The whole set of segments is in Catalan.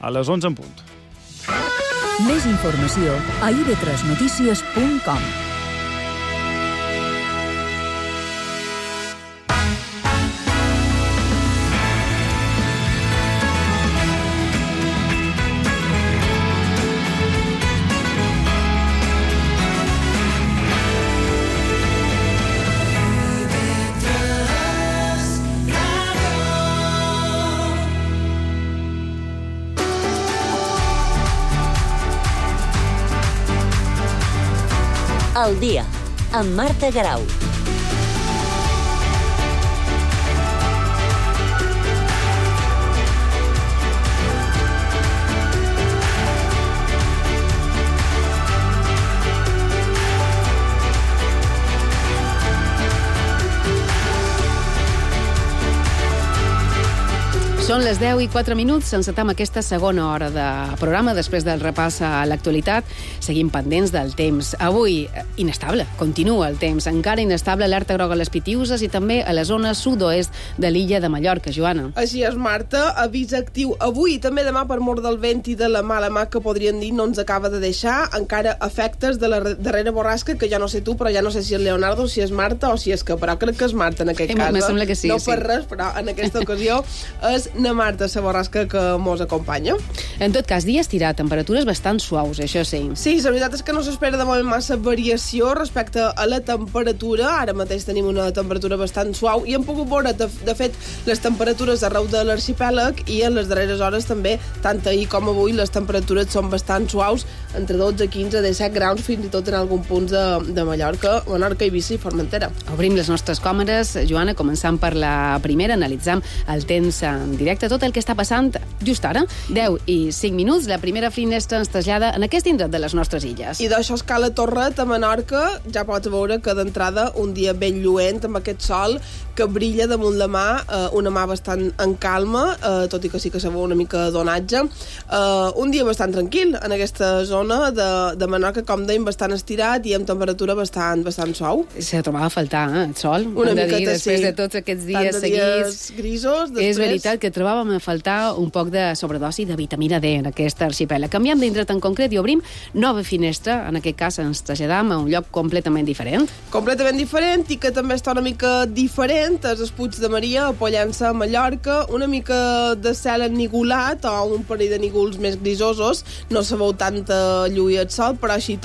a les 11 en punt. Més informació a ib3notícies.com. Al dia, amb Marta Garau. Són les 10:04, encetam aquesta segona hora de programa després del repàs a l'actualitat. Seguim pendents del temps. Avui, inestable, continua el temps. Encara inestable, alerta groga a les Pitiüses i també a la zona sud-oest de l'illa de Mallorca. Joana. Així és, Marta. Avís actiu avui i també demà per mort del vent i de la mala mà que podrien dir no ens acaba de deixar. Encara efectes de la darrera borrasca, que ja no sé tu, però ja no sé si és Leonardo, si és Marta o si és que... Però crec que és Marta en aquest cas. Me sembla que sí. No per res, però en aquesta ocasió és na Marta, la borrasca que mos acompanya. En tot cas, dia estirat, temperatures bastant suaus, això sí. Sí, la veritat és que no s'espera de moment massa variació respecte a la temperatura. Ara mateix tenim una temperatura bastant suau i hem pogut veure, de fet, les temperatures arreu de l'arxipèlag i en les darreres hores també, tant ahir com avui, les temperatures són bastant suaus, entre 12, 15, 17 graus, fins i tot en algun punts de Mallorca, Menorca, Eivissa i Formentera. Obrim les nostres càmeres, Joana, començant per la primera, analitzam el temps en directe, tot el que està passant just ara, 10:05, la primera finestra ens trasllada en aquest indret de les nostres illes. I d'això escala Torret, a Menorca, ja pots veure que d'entrada un dia ben lluent, amb aquest sol que brilla damunt la mà, una mà bastant en calma, tot i que sí que se veu una mica d'onatge. Un dia bastant tranquil en aquesta zona de Menorca, com dèiem, bastant estirat i amb temperatura bastant suau. Se trobava a faltar, el sol. Una miqueta, després sí. De tots aquests dies seguits grisos, després... És veritat que trobàvem a faltar un poc de sobredosi de vitamina D en aquesta arxipèlag. Canviem d'indret en concret i obrim nova finestra. En aquest cas ens traslladam a un lloc completament diferent. Completament diferent i que també està una mica diferent. És el Puig de Maria, a Pollença, a Mallorca. Una mica de cel ennigolat o un parell de nígols més grisosos. No se veu tanta lluïa al sol, però així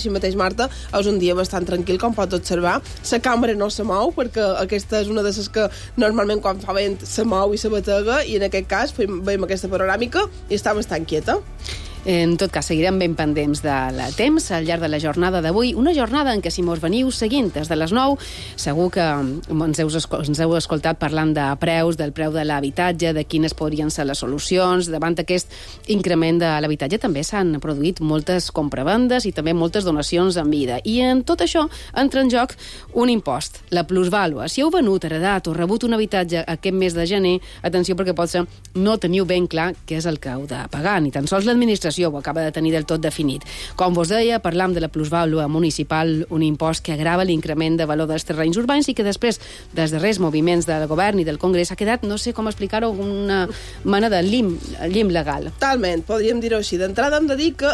mateix, Marta, és un dia bastant tranquil, com pots observar. La cambra no se mou, perquè aquesta és una de les que normalment quan fa vent se mou i se batega, i en aquest cas veiem aquesta panoràmica i està bastant quieta. En tot cas, seguirem ben pendents del temps al llarg de la jornada d'avui. Una jornada en què, si mos veniu seguint des de les 9, segur que ens heu escoltat parlant de preus, del preu de l'habitatge, de quines podrien ser les solucions. Davant aquest increment de l'habitatge també s'han produït moltes compravendes i també moltes donacions en vida. I en tot això entra en joc un impost, la plusvàlua. Si heu venut, heredat o rebut un habitatge aquest mes de gener, atenció, perquè potser no teniu ben clar què és el que heu de pagar, ni tan sols l'administració ho acaba de tenir del tot definit. Com vos deia, parlam de la plusvàlua municipal, un impost que agrava l'increment de valor dels terrenys urbans i que després dels darrers moviments del govern i del Congrés ha quedat, no sé com explicar-ho, una mena de llim legal. Talment, podríem dir-ho així. D'entrada hem de dir que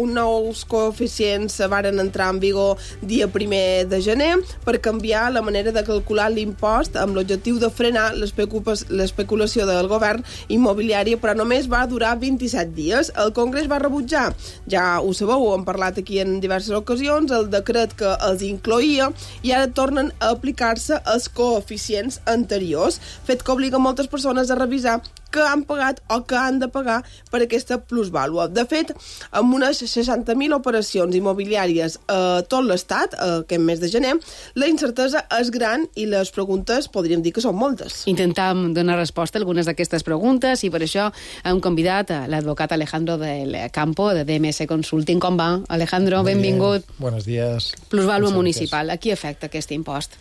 uns nous coeficients varen entrar en vigor dia 1 de gener per canviar la manera de calcular l'impost amb l'objectiu de frenar l'especulació del govern immobiliari, però només va durar 27 dies. El Congrés va rebutjar, ja ho sabeu, ho hem parlat aquí en diverses ocasions, el decret que els incloïa, i ara tornen a aplicar-se els coeficients anteriors, fet que obliga moltes persones a revisar que han pagat o que han de pagar per aquesta plusvàlua. De fet, amb unes 60.000 operacions immobiliàries a tot l'Estat, aquest mes de gener, la incertesa és gran i les preguntes podríem dir que són moltes. Intentam donar resposta a algunes d'aquestes preguntes i per això hem convidat a l'advocat Alejandro del Campo, de DMS Consulting. Com va, Alejandro? Benvingut. Buenos días. Plusvàlua municipal. A qui afecta aquest impost?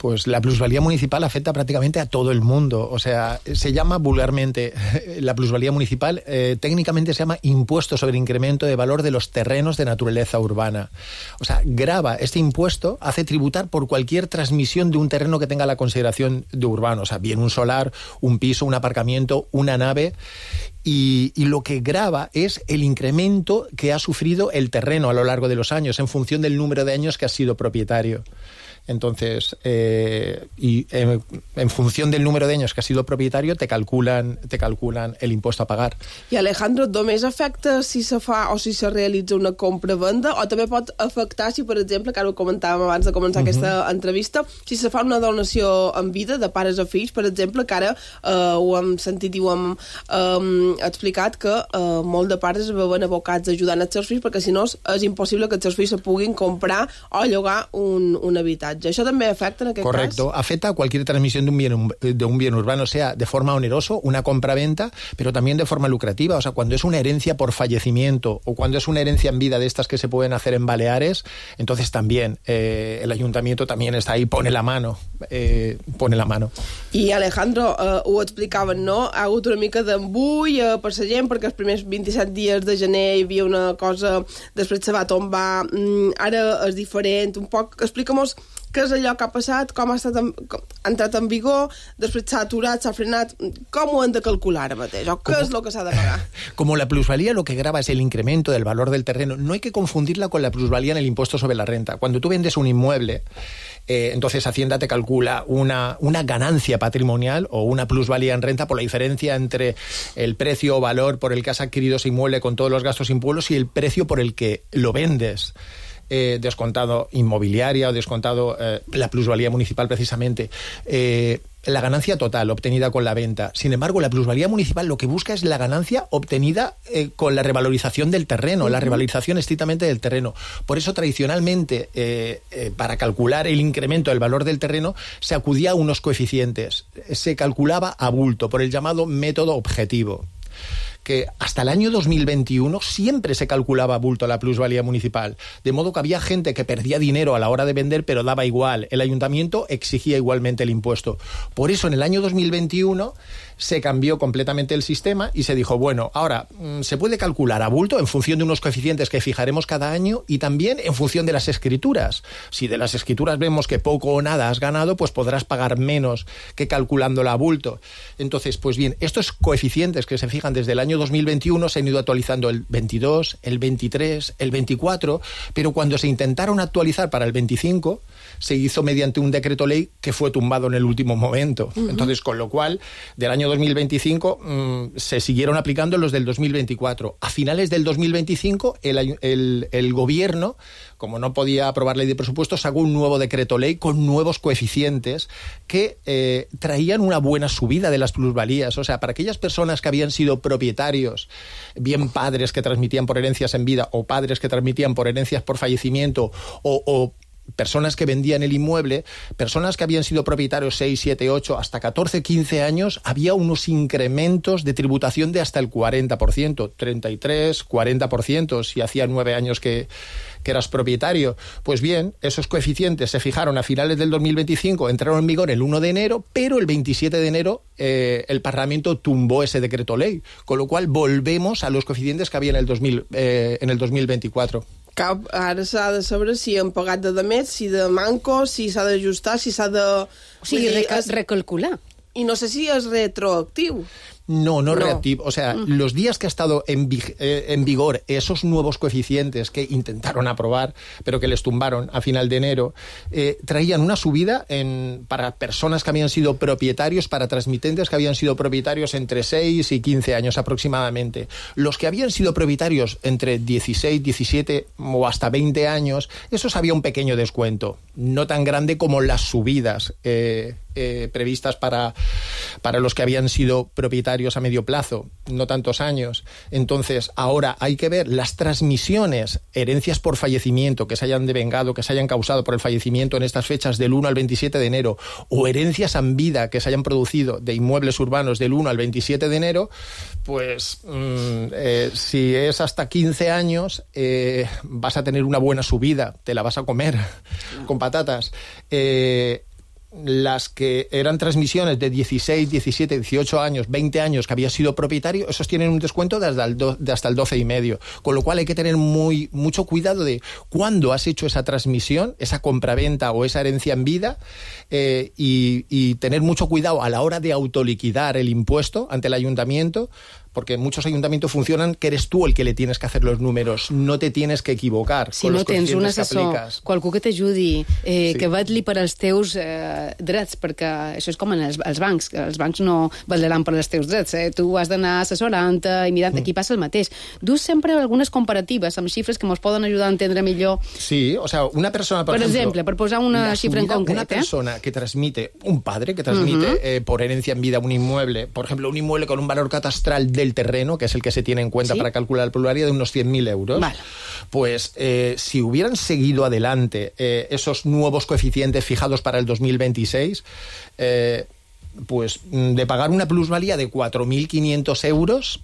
Pues la plusvalía municipal afecta prácticamente a todo el mundo. O sea, se llama vulgarmente la plusvalía municipal, técnicamente se llama impuesto sobre incremento de valor de los terrenos de naturaleza urbana. O sea, grava este impuesto, hace tributar por cualquier transmisión de un terreno que tenga la consideración de urbano. O sea, bien un solar, un piso, un aparcamiento, una nave. Y lo que grava es el incremento que ha sufrido el terreno a lo largo de los años en función del número de años que ha sido propietario. Entonces, en función del número de años que has sido propietario, te calculan el impuesto a pagar. I Alejandro, només afecta si se fa o si se realitza una compra-venda, o també pot afectar si, per exemple, que ara ho comentàvem abans de començar aquesta entrevista, si se fa una donació en vida de pares a fills, per exemple, que ara ho hem sentit i ho hem explicat, que molt de pares es veuen abocats ajudant els seus fills, perquè si no és impossible que els seus fills se puguin comprar o llogar un habitatge. ¿Eso también afecta en aquel caso? Correcto, afecta a cualquier transmisión de un bien urbano, sea de forma onerosa, una compra-venta, pero también de forma lucrativa. O sea, cuando es una herencia por fallecimiento o cuando es una herencia en vida de estas que se pueden hacer en Baleares, entonces también el ayuntamiento también está ahí, pone la mano. I Alejandro, ho explicaven, no? Ha hagut una mica d'embull per la gent, perquè els primers 27 dies de gener hi havia una cosa, després se va tombar, ara és diferent, un poc, explica'm-nos què és allò que ha passat, com ha entrat en vigor, després s'ha aturat, s'ha frenat, com ho hem de calcular ara mateix, o què és el que s'ha de pagar? Como la plusvalía lo que grava es el incremento del valor del terreno, no hay que confundirla con la plusvalía en el impuesto sobre la renta. Cuando tú vendes un inmueble, entonces Hacienda te calcula una ganancia patrimonial o una plusvalía en renta por la diferencia entre el precio o valor por el que has adquirido ese inmueble con todos los gastos e impuestos y el precio por el que lo vendes. Descontado inmobiliaria o descontado la plusvalía municipal precisamente, la ganancia total obtenida con la venta. Sin embargo, la plusvalía municipal lo que busca es la ganancia obtenida con la revalorización del terreno, la revalorización estrictamente del terreno. Por eso, tradicionalmente, para calcular el incremento del valor del terreno, se acudía a unos coeficientes. Se calculaba a bulto, por el llamado método objetivo, que hasta el año 2021 siempre se calculaba a bulto la plusvalía municipal, de modo que había gente que perdía dinero a la hora de vender, pero daba igual, el ayuntamiento exigía igualmente el impuesto. Por eso en el año 2021 se cambió completamente el sistema y se dijo, bueno, ahora se puede calcular a bulto en función de unos coeficientes que fijaremos cada año y también en función de las escrituras. Si de las escrituras vemos que poco o nada has ganado, pues podrás pagar menos que calculándola a bulto. Entonces, pues bien, estos coeficientes que se fijan desde el año 2021 se han ido actualizando el 22, el 23, el 24, pero cuando se intentaron actualizar para el 25, se hizo mediante un decreto ley que fue tumbado en el último momento. Entonces, con lo cual, del año 2025 se siguieron aplicando los del 2024. A finales del 2025, el gobierno, como no podía aprobar ley de presupuestos, sacó un nuevo decreto ley con nuevos coeficientes que traían una buena subida de las plusvalías. O sea, para aquellas personas que habían sido propietarios, bien padres que transmitían por herencias en vida o padres que transmitían por herencias por fallecimiento o personas que vendían el inmueble, personas que habían sido propietarios 6, 7, 8, hasta 14, 15 años, había unos incrementos de tributación de hasta el 40%, 33, 40%, si hacía 9 años que eras propietario. Pues bien, esos coeficientes se fijaron a finales del 2025, entraron en vigor el 1 de enero, pero el 27 de enero el Parlamento tumbó ese decreto ley, con lo cual volvemos a los coeficientes que había en el 2024. Ara s'ha de saber si han pagat de més, si de manco, si s'ha d'ajustar, si s'ha de... O sigui, recalcular. I no sé si és retroactiu. No reactivo. O sea, los días que ha estado en vigor esos nuevos coeficientes que intentaron aprobar, pero que les tumbaron a final de enero, traían una subida para personas que habían sido propietarios, para transmitentes que habían sido propietarios entre 6 y 15 años aproximadamente. Los que habían sido propietarios entre 16, 17 o hasta 20 años, esos había un pequeño descuento, no tan grande como las subidas previstas para los que habían sido propietarios a medio plazo, no tantos años. Entonces, ahora hay que ver las transmisiones, herencias por fallecimiento que se hayan devengado, que se hayan causado por el fallecimiento en estas fechas del 1 al 27 de enero, o herencias en vida que se hayan producido de inmuebles urbanos del 1 al 27 de enero, pues si es hasta 15 años, vas a tener una buena subida, te la vas a comer con patatas. las que eran transmisiones de 16, 17, 18 años, 20 años que había sido propietario, esos tienen un descuento de hasta el 12,5%. Con lo cual hay que tener mucho cuidado de cuándo has hecho esa transmisión, esa compraventa o esa herencia en vida, y tener mucho cuidado a la hora de autoliquidar el impuesto ante el ayuntamiento, porque muchos ayuntamientos funcionan que eres tú el que le tienes que hacer los números, no te tienes que equivocar. Si no tens un assessor, qualcú que t'ajudi, que vetlli per als teus drets, perquè això és com en els bancs, els bancs no vetlaran per als teus drets, tu has d'anar assessorant-te i mirant, aquí passa el mateix. Dus sempre algunes comparatives amb xifres que ens poden ajudar a entendre millor. Sí, o sea, una persona, por ejemplo, per posar una xifra en concret. Una persona que transmite, un padre que transmite por herencia en vida un inmueble, por ejemplo, un inmueble con un valor catastral del terreno, que es el que se tiene en cuenta para calcular la pluralidad, de unos 100.000 euros. Vale. Pues si hubieran seguido adelante esos nuevos coeficientes fijados para el 2026, pues de pagar una plusvalía de 4.500 euros,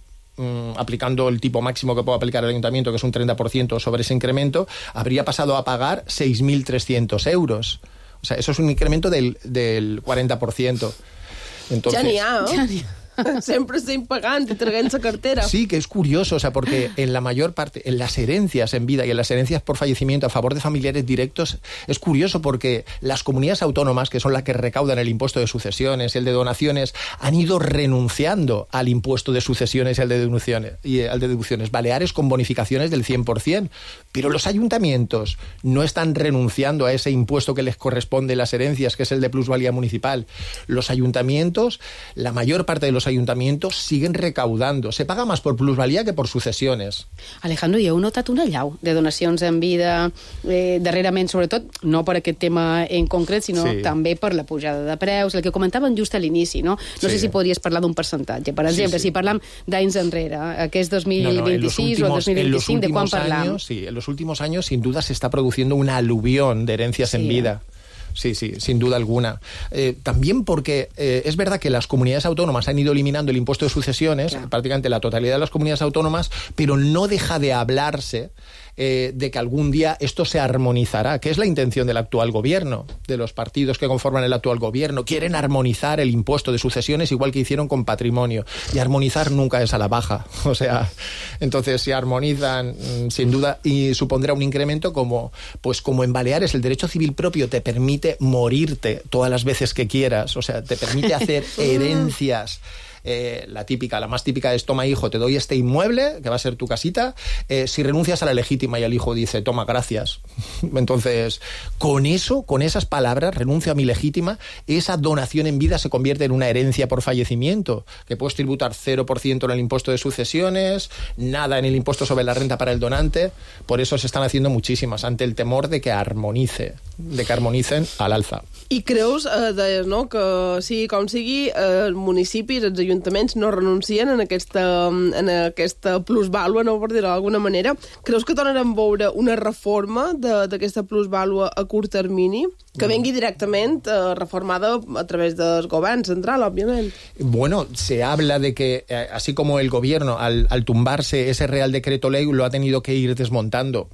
aplicando el tipo máximo que puede aplicar el ayuntamiento, que es un 30% sobre ese incremento, habría pasado a pagar 6.300 euros. O sea, eso es un incremento del 40%. Entonces, ja n'hi ha, Sempre estem pagant i traguent la cartera. Sí, que es curioso, o sea, porque en la mayor parte, en las herencias en vida y en las herencias por fallecimiento a favor de familiares directos, es curioso porque las comunidades autónomas, que son las que recaudan el impuesto de sucesiones y el de donaciones, han ido renunciando al impuesto de sucesiones y al de deducciones. Baleares con bonificaciones del 100%, pero los ayuntamientos no están renunciando a ese impuesto que les corresponde las herencias, que es el de plusvalía municipal. Los ayuntamientos, la mayor parte de los ayuntamientos siguen recaudando. Se paga más por plusvalía que por sucesiones. Alejandro, hi heu notat una allau de donacions en vida darrerament, sobretot, no per aquest tema en concret, sinó també per la pujada de preus, el que comentàvem just a l'inici, no? No sé si podries parlar d'un percentatge. Per exemple, si parlam d'anys enrere, aquest 2026 o el 2025, ¿de quan parlam? Sí, en los últimos años, sin duda, se está produciendo una aluvión de herencias en vida. Sí, sin duda alguna. También porque es verdad que las comunidades autónomas han ido eliminando el impuesto de sucesiones, prácticamente la totalidad de las comunidades autónomas, pero no deja de hablarse de que algún día esto se armonizará, que es la intención del actual gobierno, de los partidos que conforman el actual gobierno. Quieren armonizar el impuesto de sucesiones igual que hicieron con patrimonio. Y armonizar nunca es a la baja. O sea, entonces si armonizan, sin duda, y supondrá un incremento como en Baleares el derecho civil propio te permite morirte todas las veces que quieras. O sea, te permite hacer herencias. La más típica es: toma, hijo, te doy este inmueble, que va a ser tu casita, si renuncias a la legítima. Y el hijo dice: toma, gracias. Entonces, con esas palabras, renuncio a mi legítima, esa donación en vida se convierte en una herencia por fallecimiento, que puedes tributar 0% en el impuesto de sucesiones, nada en el impuesto sobre la renta para el donante. Por eso se están haciendo muchísimas, ante el temor de que armonicen al alza. I creus, deies, no?, que sigui com sigui, els municipis, els ajuntaments no renuncien en aquesta plusvàlua, no, per dir-ho d'alguna manera. Creus que tornarem a veure una reforma d'aquesta plusvàlua a curt termini, que vengui directament reformada a través del govern central, òbviament? Bueno, se habla de que, así como el gobierno, al tumbarse ese Real Decreto Ley, lo ha tenido que ir desmontando.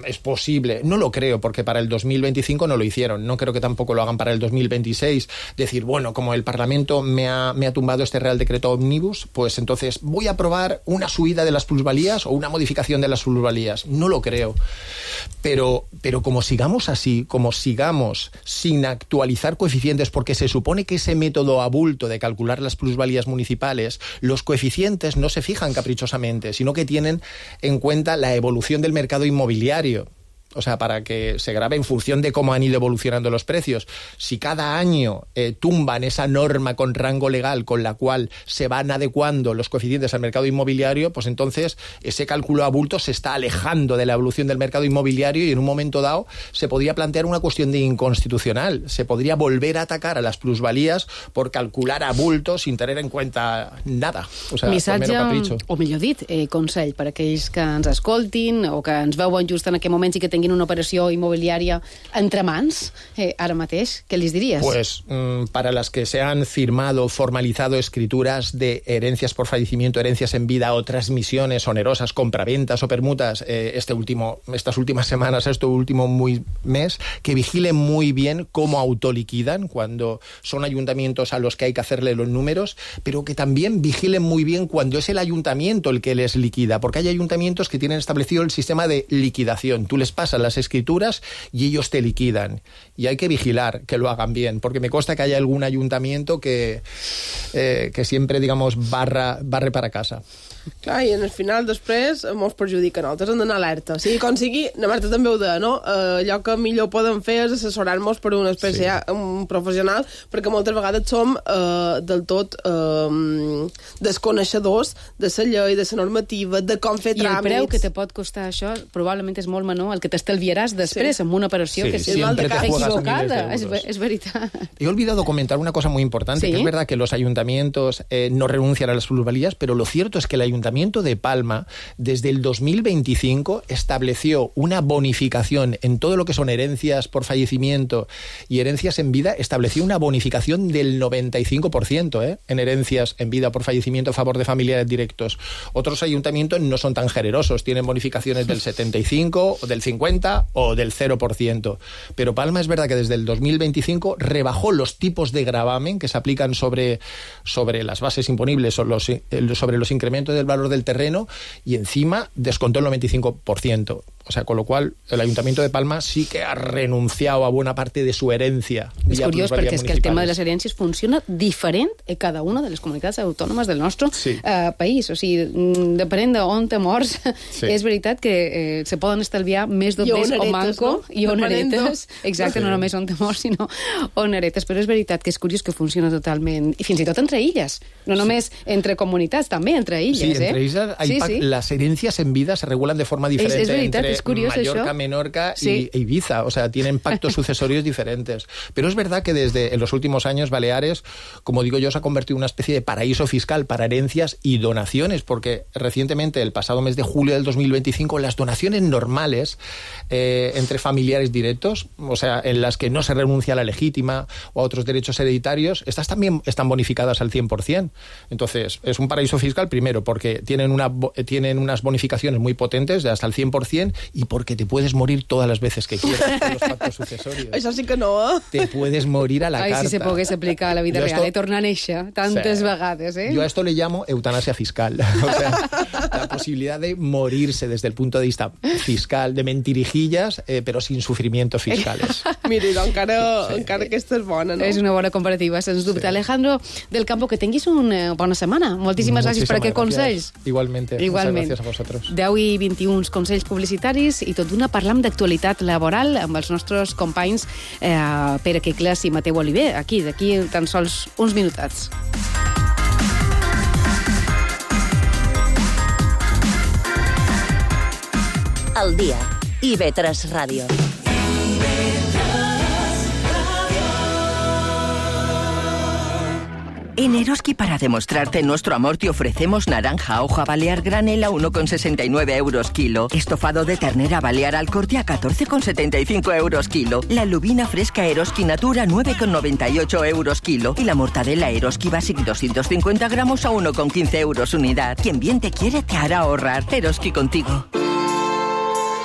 Es posible, no lo creo, porque para el 2025 no lo hicieron, no creo que tampoco lo hagan para el 2026, decir, bueno, como el Parlamento me ha tumbado este Real Decreto Omnibus, pues entonces voy a aprobar una subida de las plusvalías o una modificación de las plusvalías. No lo creo, pero como sigamos así, como sigamos sin actualizar coeficientes, porque se supone que ese método a bulto de calcular las plusvalías municipales, los coeficientes no se fijan caprichosamente, sino que tienen en cuenta la evolución del mercado inmobiliario. O sea, para que se grabe en función de cómo han ido evolucionando los precios. Si cada año tumban esa norma con rango legal con la cual se van adecuando los coeficientes al mercado inmobiliario, pues entonces ese cálculo a bulto se está alejando de la evolución del mercado inmobiliario y en un momento dado se podría plantear una cuestión de inconstitucional. Se podría volver a atacar a las plusvalías por calcular a bulto sin tener en cuenta nada. O sea, missatge, o millor dit, consell per a aquells que ens escoltin o que ens veuen just en aquest moment i que tinguin tinguin una operació immobiliària entre mans, ara mateix, què les diries? Pues para las que se han firmado, formalizado escrituras de herencias por fallecimiento, herencias en vida o transmisiones onerosas, compraventas o permutas estas últimas semanas, este último mes, que vigilen muy bien cómo autoliquidan cuando son ayuntamientos a los que hay que hacerle los números, pero que también vigilen muy bien cuando es el ayuntamiento el que les liquida, porque hay ayuntamientos que tienen establecido el sistema de liquidación. Tú les pasas las escrituras y ellos te liquidan. Y hay que vigilar que lo hagan bien, porque me consta que hay algún ayuntamiento que siempre, digamos, barre para casa. Clar, i en el final després mos perjudica a nosaltres, hem d'anar alerta. Sí, com sigui, la Marta també ho deia, no? Allò que millor podem fer és assessorar-nos per una espècie un professional, perquè moltes vegades som del tot desconeixedors de la llei, de la normativa, de com fer tràmits. I el preu que te pot costar això probablement és molt menor el que t'estalviaràs després amb una operació que és equivocada. És veritat. He olvidado comentar una cosa muy importante, que es verdad que los ayuntamientos no renuncian a las plusvalías, pero lo cierto es que el Ayuntamiento de Palma, desde el 2025, estableció una bonificación en todo lo que son herencias por fallecimiento y herencias en vida, estableció una bonificación del 95% en herencias en vida por fallecimiento a favor de familiares directos. Otros ayuntamientos no son tan generosos, tienen bonificaciones del 75%, o del 50% o del 0%. Pero Palma es verdad que desde el 2025 rebajó los tipos de gravamen que se aplican sobre las bases imponibles o sobre los incrementos del valor del terreno, y encima descontó el 95%. O sea, con lo cual el Ayuntamiento de Palma sí que ha renunciado a buena parte de su herencia. És curiós perquè és que el tema de les herències funciona diferent a cada una de les comunitats autònomes del nostre país. O sigui, depenent d'on te mors, és veritat que se poden estalviar més doblers o manco i oneretes. Exacte, no només on te mors, sinó oneretes. Però és veritat que és curiós que funciona totalment, i fins i tot entre illes. No només entre comunitats, també entre illes. Sí, entre illes las herencias en vida se regulan de forma diferente. És veritat, es curioso Mallorca, eso. Menorca y Ibiza, o sea, tienen pactos sucesorios diferentes. Pero es verdad que en los últimos años Baleares, como digo yo, se ha convertido en una especie de paraíso fiscal para herencias y donaciones, porque recientemente, el pasado mes de julio del 2025, las donaciones normales entre familiares directos, o sea, en las que no se renuncia a la legítima o a otros derechos hereditarios, estas también están bonificadas al 100%. Entonces, es un paraíso fiscal, primero, porque tienen unas bonificaciones muy potentes de hasta el 100%, y porque te puedes morir todas las veces que quieras con los pactos sucesorios. Això sí que no, Te puedes morir a la carta. Si se pogués aplicar a la vida real, tornar a néixer tantes vegades, Yo a esto le llamo eutanasia fiscal. O sea, la posibilidad de morirse desde el punto de vista fiscal, de mentirijillas, pero sin sufrimientos fiscales. Mira, encara aquesta és bona, no? És una bona comparativa, sens dubte. Alejandro del Campo, que tinguis una bona setmana. Moltíssimes gràcies per aquests consells. Igualmente. Muchas gracias a vosotros. 10 i 21 consells publicitaris i tot d'una parlam d'actualitat laboral amb els nostres companys Pere Quicles i Mateu Oliver, d'aquí tan sols uns minutats. Al dia, IB3 Ràdio. En Eroski, para demostrarte nuestro amor, te ofrecemos naranja hoja balear granel a 1,69 euros kilo. Estofado de ternera balear al corte a 14,75 euros kilo. La lubina fresca Eroski Natura 9,98 euros kilo. Y la mortadela Eroski Basic 250 gramos a 1,15 euros unidad. Quien bien te quiere te hará ahorrar. Eroski contigo.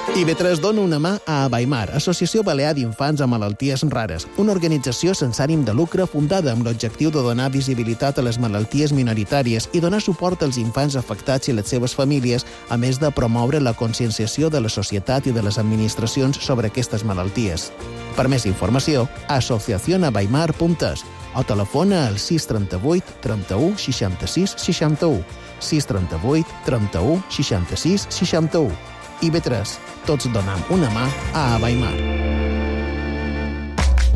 IB3 dona una mà a Abaimar, Associació Balear d'Infants amb Malalties Rares, una organització sense ànim de lucre fundada amb l'objectiu de donar visibilitat a les malalties minoritàries i donar suport als infants afectats i les seves famílies, a més de promoure la conscienciació de la societat i de les administracions sobre aquestes malalties. Per més informació, asociacionabaimar.es o telefona al 638 31 66 61, 638 31 66 61. IB3, tots donem una mà a Abaimar.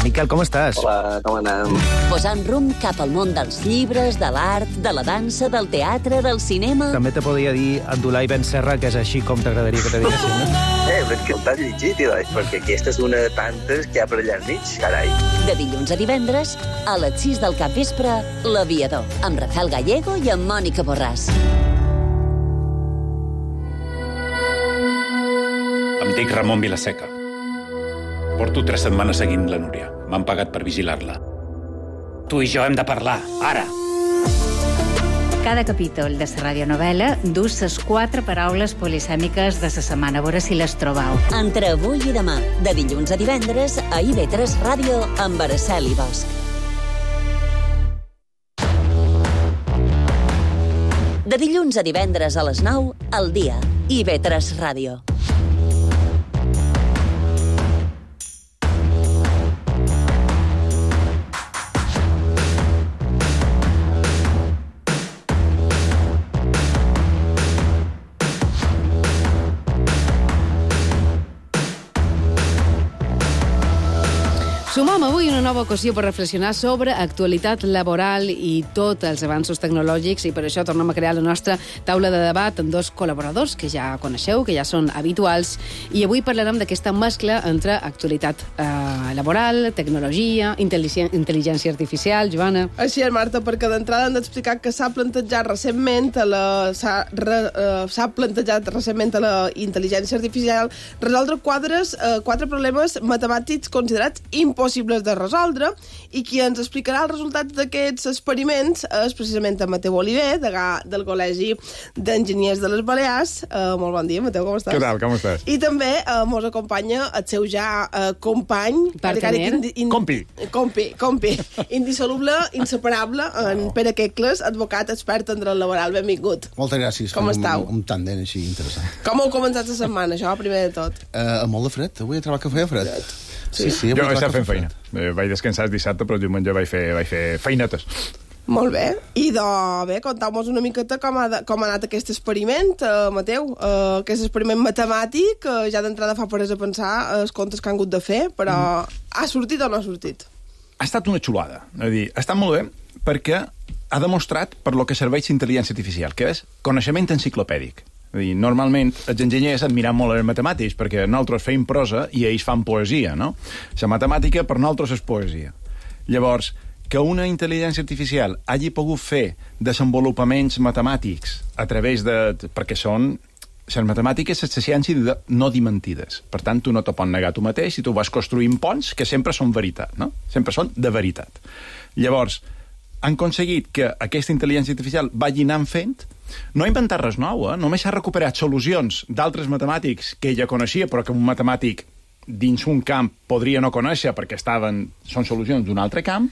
Miquel, com estàs? Hola, com anem? Posant rumb cap al món dels llibres, de l'art, de la dansa, del teatre, del cinema... També te podria dir Abdullah Ibn Serra, que és així com t'agradaria que te diguessin, no? Però és que el t'has llegit, perquè aquesta és una de tantes que hi ha per allà al mig, carai. De dilluns a divendres, a les 6 del capvespre, L'Aviador, amb Rafael Gallego i amb Mònica Borràs. Dic Ramon Vilaseca. Porto 3 setmanes seguint la Núria. M'han pagat per vigilar-la. Tu i jo hem de parlar, ara. Cada capítol de la radionovel·la du les 4 paraules polisèmiques de la setmana. A veure si les trobeu. Entre avui i demà, de dilluns a divendres, a IB3 Ràdio, amb Araceli Bosch. De dilluns a divendres a les 9, al dia. IB3 Ràdio. Sumam avui una nova ocasió per reflexionar sobre actualitat laboral i tots els avanços tecnològics, i per això tornem a crear la nostra taula de debat amb 2 col·laboradors que ja coneixeu, que ja són habituals, i avui parlarem d'aquesta mescla entre actualitat laboral, tecnologia, intel·ligència artificial. Joana? Així és, Marta, perquè d'entrada hem d'explicar que s'ha plantejat recentment a la intel·ligència artificial resoldre 4 problemes matemàtics considerats impossibles de resoldre, i qui ens explicarà els resultats d'aquests experiments és precisament en Mateu Oliver, degà del Col·legi d'Enginyers de les Balears. Molt bon dia, Mateu, com estàs? Què tal, com estàs? I també mos acompanya el seu ja company, compi, indissoluble, inseparable, en Pere Quecles, advocat expert en dret laboral. Benvingut. Moltes gràcies. Com estàu? Un tàndem així interessant. Com heu començat la setmana, això, primer de tot? Molt de fred. Avui he trobat que feia fred. Sí, jo estava fent feina. Vaig descansar el dissabte, però el diumenge vaig fer feinetes. Molt bé. I bé, contau-nos una miqueta com ha anat aquest experiment, Mateu. Aquest experiment matemàtic, ja d'entrada fa presa a pensar els comptes que han hagut de fer, però ha sortit o no ha sortit? Ha estat una xulada. És a dir, ha estat molt bé perquè ha demostrat per lo que serveix intel·ligència artificial, que és coneixement enciclopèdic. És a dir, normalment els enginyers admiren molt els matemàtics perquè nosaltres feim prosa i ells fan poesia, no? La matemàtica per nosaltres és poesia. Llavors, que una intel·ligència artificial hagi pogut fer desenvolupaments matemàtics a través de... perquè són... Les matemàtiques és la ciència no dimentides. Per tant, tu no te pots negar tu mateix i tu vas construint ponts que sempre són veritat, no? Sempre són de veritat. Llavors, han aconseguit que aquesta intel·ligència artificial vagi anant fent. No ha inventat res nou, només ha recuperat solucions d'altres matemàtics que ella coneixia, però que un matemàtic dins un camp podria no conèixer perquè són solucions d'un altre camp,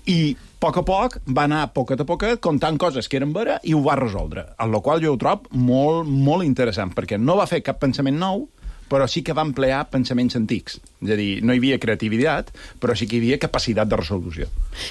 i a poc va anar poquet a poquet contant coses que eren veres i ho va resoldre, amb la qual jo ho trobo molt, molt interessant, perquè no va fer cap pensament nou, però sí que va emplear pensaments antics. És a dir, no hi havia creativitat, però sí que hi havia capacitat de resolució.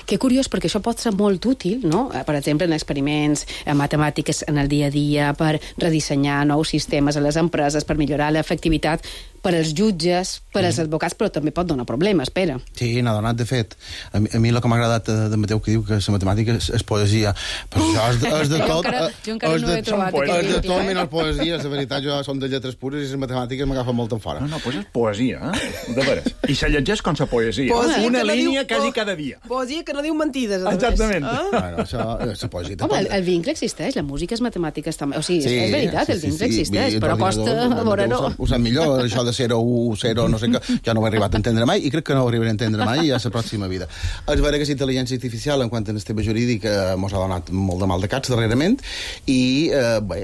Que curiós, perquè això pot ser molt útil, no? Per exemple, en experiments matemàtiques en el dia a dia, per redissenyar nous sistemes a les empreses, per millorar l'efectivitat, per als jutges, per als advocats, però també pot donar problemes, Pere. Sí, n'ha donat, de fet. A mi el que m'ha agradat de Mateu, que diu que la matemàtica és poesia. Però això és de tot... Jo encara no he trobat és de tot menys poesia. La veritat, jo som de lletres pures i les matemàtiques m'agafen molt en fora. No, doncs és poesia, de veres. I se llegeix com la poesia. Una línia quasi cada dia. Poesia que no diu mentides. Exactament. Bueno, això és la poesia. Home, el vincle existeix, la música és matemàtiques també. O sigui, és veritat, el vincle existeix, però costa veure-ho. Ho sap millor, això de 0, 1, 0, no sé què, jo no ho he arribat a entendre mai i crec que no ho arribaré a entendre mai a la pròxima vida. És vera que la intel·ligència artificial, en quant a el tema jurídic, mos ha donat molt de mal de caps darrerament i, bé,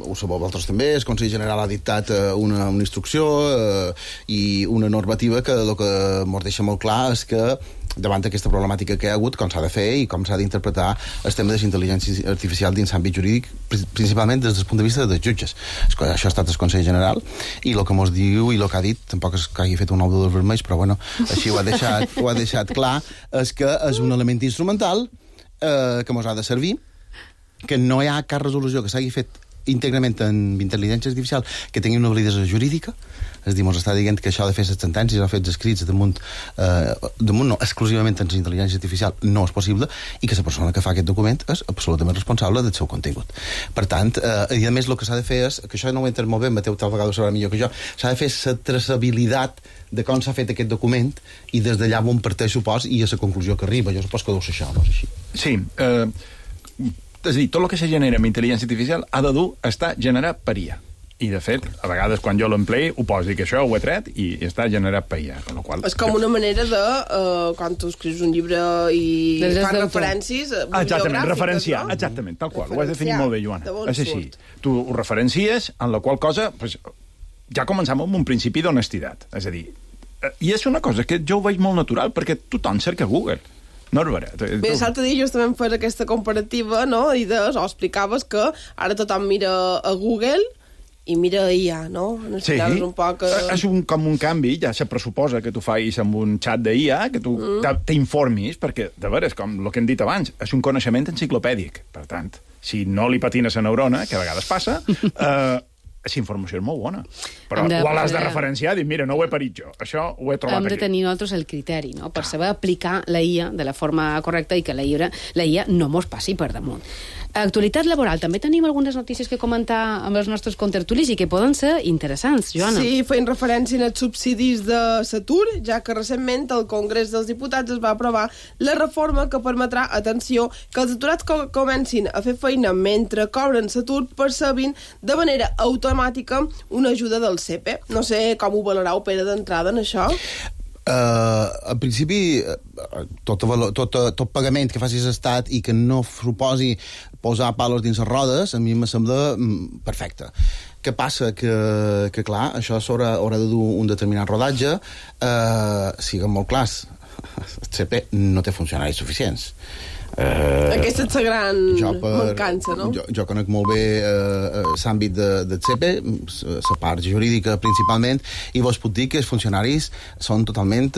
ho sabeu vosaltres també, el Consell General ha dictat una instrucció i una normativa que el que mos deixa molt clar és que davant d'aquesta problemàtica que hi ha hagut, com s'ha de fer i com s'ha d'interpretar el tema de la intel·ligència artificial dins l'àmbit jurídic, principalment des del punt de vista dels jutges. Això ha estat el Consell General i el que mos diu i el que ha dit, tampoc és que hagi fet un nou dels vermells, però bueno, així ho ha deixat clar, és que és un element instrumental que mos ha de servir, que no hi ha cap resolució que s'hagi fet íntegrament en intel·ligència artificial que tingui una validesa jurídica. És a dir, mos està dient que això de fer les sentències o fer els escrits damunt no, exclusivament en intel·ligència artificial no és possible i que la persona que fa aquest document és absolutament responsable del seu contingut. Per tant, i a més el que s'ha de fer és, que això no ho he entès molt bé, Mateu tal vegada ho sabrà millor que jo, s'ha de fer la traçabilitat de com s'ha fet aquest document i des d'allà on parteix supòs i a la conclusió que arriba. Jo supos que deu ser això, no és així? Sí, és a dir, tot el que se genera amb intel·ligència artificial ha de dur a estar generat per IA. I, de fet, a vegades, quan jo l'emplei, ho poso, dic això, ho he tret i està generat per IA. És com una manera de, quan tu escrius un llibre i fas referències exactament, referenciar, no? Exactament, tal qual. Ho has definit molt bé, Joana. És així. Tu ho referencies, en la qual cosa pues, ja començam amb un principi d'honestitat. És a dir, i és una cosa que jo ho veig molt natural, perquè tothom cerca Google. No és veritat. Bé, l'altre dia justament fes aquesta comparativa, no? I explicaves que ara tothom mira a Google i mira IA, no? Sí, un poc, és com un canvi, ja se pressuposa que tu facis amb un xat d'IA, que tu t'informis, perquè, de veres, com el que hem dit abans, és un coneixement enciclopèdic. Per tant, si no li patines a neurona, que a vegades passa, aquesta informació és molt bona. Però ho l'has de referenciar, dir, mira, no ho he parit jo, això ho he trobat aquí. Hem de tenir nosaltres el criteri, no?, per saber aplicar la IA de la forma correcta i que la IA no mos passi per damunt. Actualitat laboral, també tenim algunes notícies que comentar amb els nostres contertulis i que poden ser interessants, Joana. Sí, feien referència als subsidis de l'atur, ja que recentment el Congrés dels Diputats es va aprovar la reforma que permetrà, atenció, que els aturats comencin a fer feina mentre cobren l'atur percebin de manera automàtica una ajuda del CEPE. No sé com ho valorau, Pere, d'entrada en això? En principi, tot pagament que facis estat i que no suposi posar palos dins les rodes, a mi me sembla perfecte. Què passa? Que clar, això haurà de dur un determinat rodatge. Siguem molt clars, el CP no té funcionaris suficients. Aquesta és la gran mancança, no? Jo conec molt bé l'àmbit del CEPE, la part jurídica principalment, i vos puc dir que els funcionaris són totalment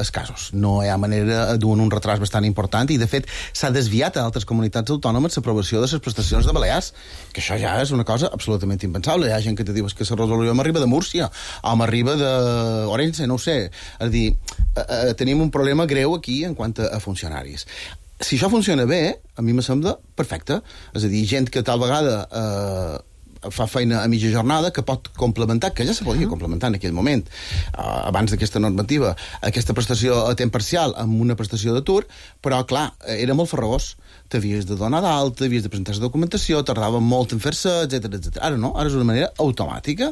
escassos. No hi ha manera, duen un retras bastant important, i de fet s'ha desviat a altres comunitats autònomes l'aprovació de les prestacions de Balears, que això ja és una cosa absolutament impensable. Hi ha gent que te diu que la resolució m'arriba de Múrcia, o m'arriba d'Orense, no ho sé. És a dir, tenim un problema greu aquí en quant a funcionaris. Si això funciona bé, a mi me sembla perfecte. És a dir, gent que tal vegada fa feina a mitja jornada, que pot complementar, que ja se podia complementar en aquell moment, abans d'aquesta normativa, aquesta prestació a temps parcial amb una prestació d'atur, però, clar, era molt farragós. T'havies de donar d'alta, havies de presentar la documentació, tardava molt en fer-se, etc. Ara no, ara és una manera automàtica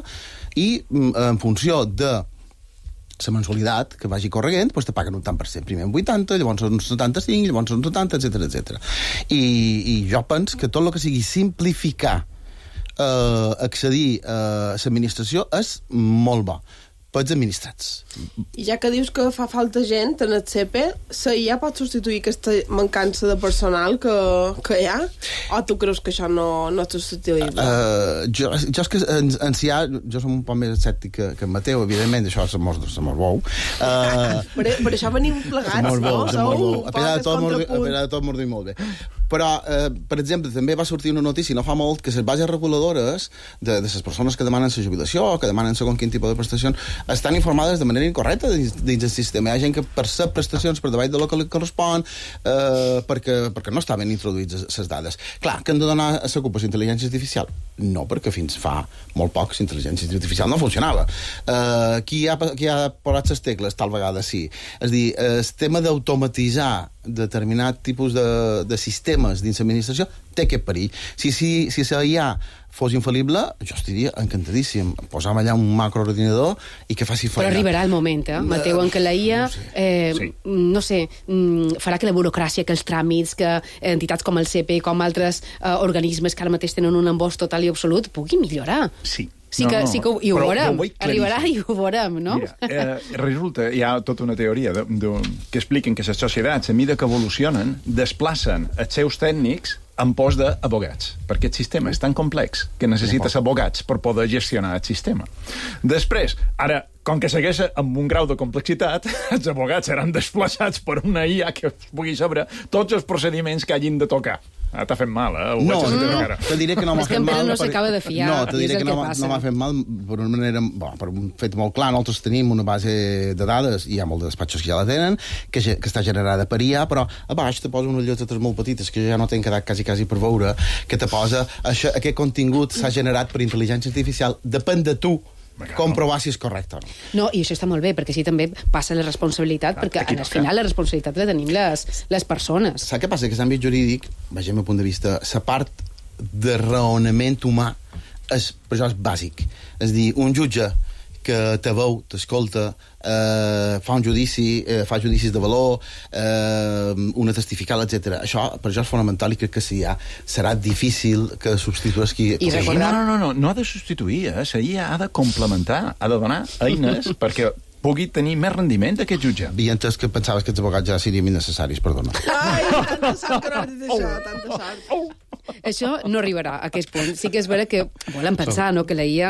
i en funció de la mensualitat que vagi corregent, doncs te paguen un tant per cent. Primer un 80, llavors un 75, llavors un 70, etc. I jo penso que tot el que sigui simplificar accedir a l'administració és molt bo pels administrats. I ja que dius que fa falta gent en el CP, la IA pot substituir aquesta mancança de personal que hi ha? O tu creus que això no és substituïble? Jo és que en CIA, jo som un poc més escèptic que en Mateu, evidentment, això se mos veu. Per això venim plegats, no? A pesar de tot mos diu molt bé. Però, per exemple, també va sortir una notícia no fa molt que les bases reguladores de les persones que demanen la jubilació o que demanen segons quin tipus de prestacions estan informades de manera incorrecta dins el sistema. Hi ha gent que percep prestacions per davall de lo que li correspon perquè no estaven introduïts les dades. Clar, que han de donar a l'ocupació intel·ligència artificial? No, perquè fins fa molt poc la intel·ligència artificial no funcionava. Qui ha posat les tecles? Tal vegada sí. És a dir, el tema d'automatitzar determinat tipus de sistemes dins l'administració té aquest perill. Si la IA fos infal·lible, jo estaria encantadíssim. Posam allà un macroordinador i que faci feina. Però arribarà el moment, Mateu, en què la IA, no sé, farà que la burocràcia, que els tràmits, que entitats com el CP, com altres organismes que ara mateix tenen un embost total i absolut, pugui millorar. Sí. Sí que ho veurem, arribarà i ho veurem, no? Mira, resulta, hi ha tota una teoria que expliquen que les societats, a mida que evolucionen, desplacen els seus tècnics en pos d'abogats, perquè el sistema és tan complex que necessites abogats per poder gestionar el sistema. Després, ara, com que segueix amb un grau de complexitat, els abogats seran desplaçats per una IA que pugui saber tots els procediments que hagin de tocar. T'ha fet mal, No, te diré que no m'ha fet mal. És que no s'acaba de fiar. No, te diré que no m'ha fet mal per una manera, per un fet molt clar. Nosaltres tenim una base de dades, i hi ha molts despatxos que ja la tenen, que està generada per IA, però a baix te posa unes lletres molt petites que ja no t'he quedat quasi per veure, que te posa aquest contingut s'ha generat per intel·ligència artificial. Depèn de tu comprovar si és correcte o no. No, i això està molt bé, perquè així també passa la responsabilitat, perquè al final la responsabilitat la tenim les persones. Saps què passa? Que l'àmbit jurídic, vegem el punt de vista, la part de raonament humà per això és bàsic. És a dir, un jutge que te veu, t'escolta, fa un judici, fa judicis de valor, una testifical, etc. Per això és fonamental i crec que serà difícil que substitueixi... No ha de substituir, seria, ha de complementar, ha de donar eines perquè pugui tenir més rendiment aquest jutge. Havia entès que pensaves que els abogats ja serien innecessaris, perdona. Ai, tanta sort que no has dit això, tanta sort. Això no arribarà a aquest punt. Sí que és vera que volem pensar que la IA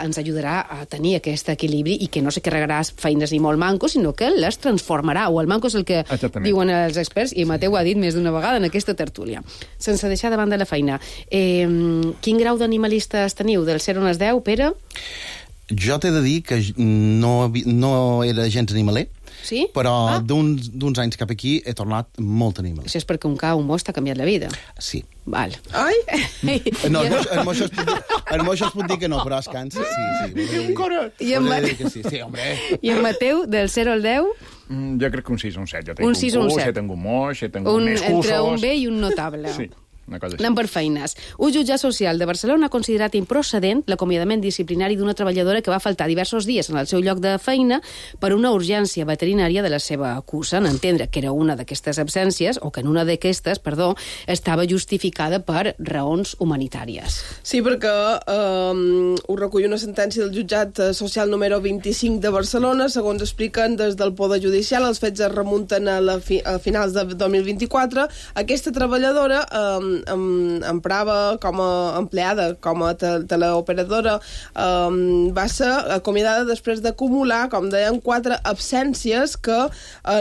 ens ajudarà a tenir aquest equilibri i que no se carregarà feines ni molt mancos, sinó que les transformarà. O el manco és el que diuen els experts, i Mateu ho ha dit més d'una vegada en aquesta tertúlia. Sense deixar de banda la feina. Quin grau d'animalistes teniu? Del 0 al 10, Pere? Jo t'he de dir que no era gens animaler, sí? Però d'uns anys cap aquí he tornat molt animaler. Això és perquè un ca, un mos t'ha canviat la vida. Sí. Val. Ai! No, el moixó es pot dir que no, però es cansa. Sí. Un coret! Sí, home. I en Mateu, del 0 al 10? Jo crec que un 6 o un 7. Jo tinc un 6 o un 7. Tinc un moix, tinc un més cursos... Entre un B i un notable. Sí. Anem per feines. Un jutjat social de Barcelona ha considerat improcedent l'acomiadament disciplinari d'una treballadora que va faltar diversos dies en el seu lloc de feina per una urgència veterinària de la seva acusa, en entendre que era una d'aquestes absències, o que en una d'aquestes, estava justificada per raons humanitàries. Sí, perquè ho recull una sentència del jutjat social número 25 de Barcelona. Segons expliquen des del Poder Judicial, els fets es remunten a finals de 2024. Aquesta treballadora emprava com a empleada, com a teleoperadora, va ser acomiadada després d'acumular, com deien, 4 absències que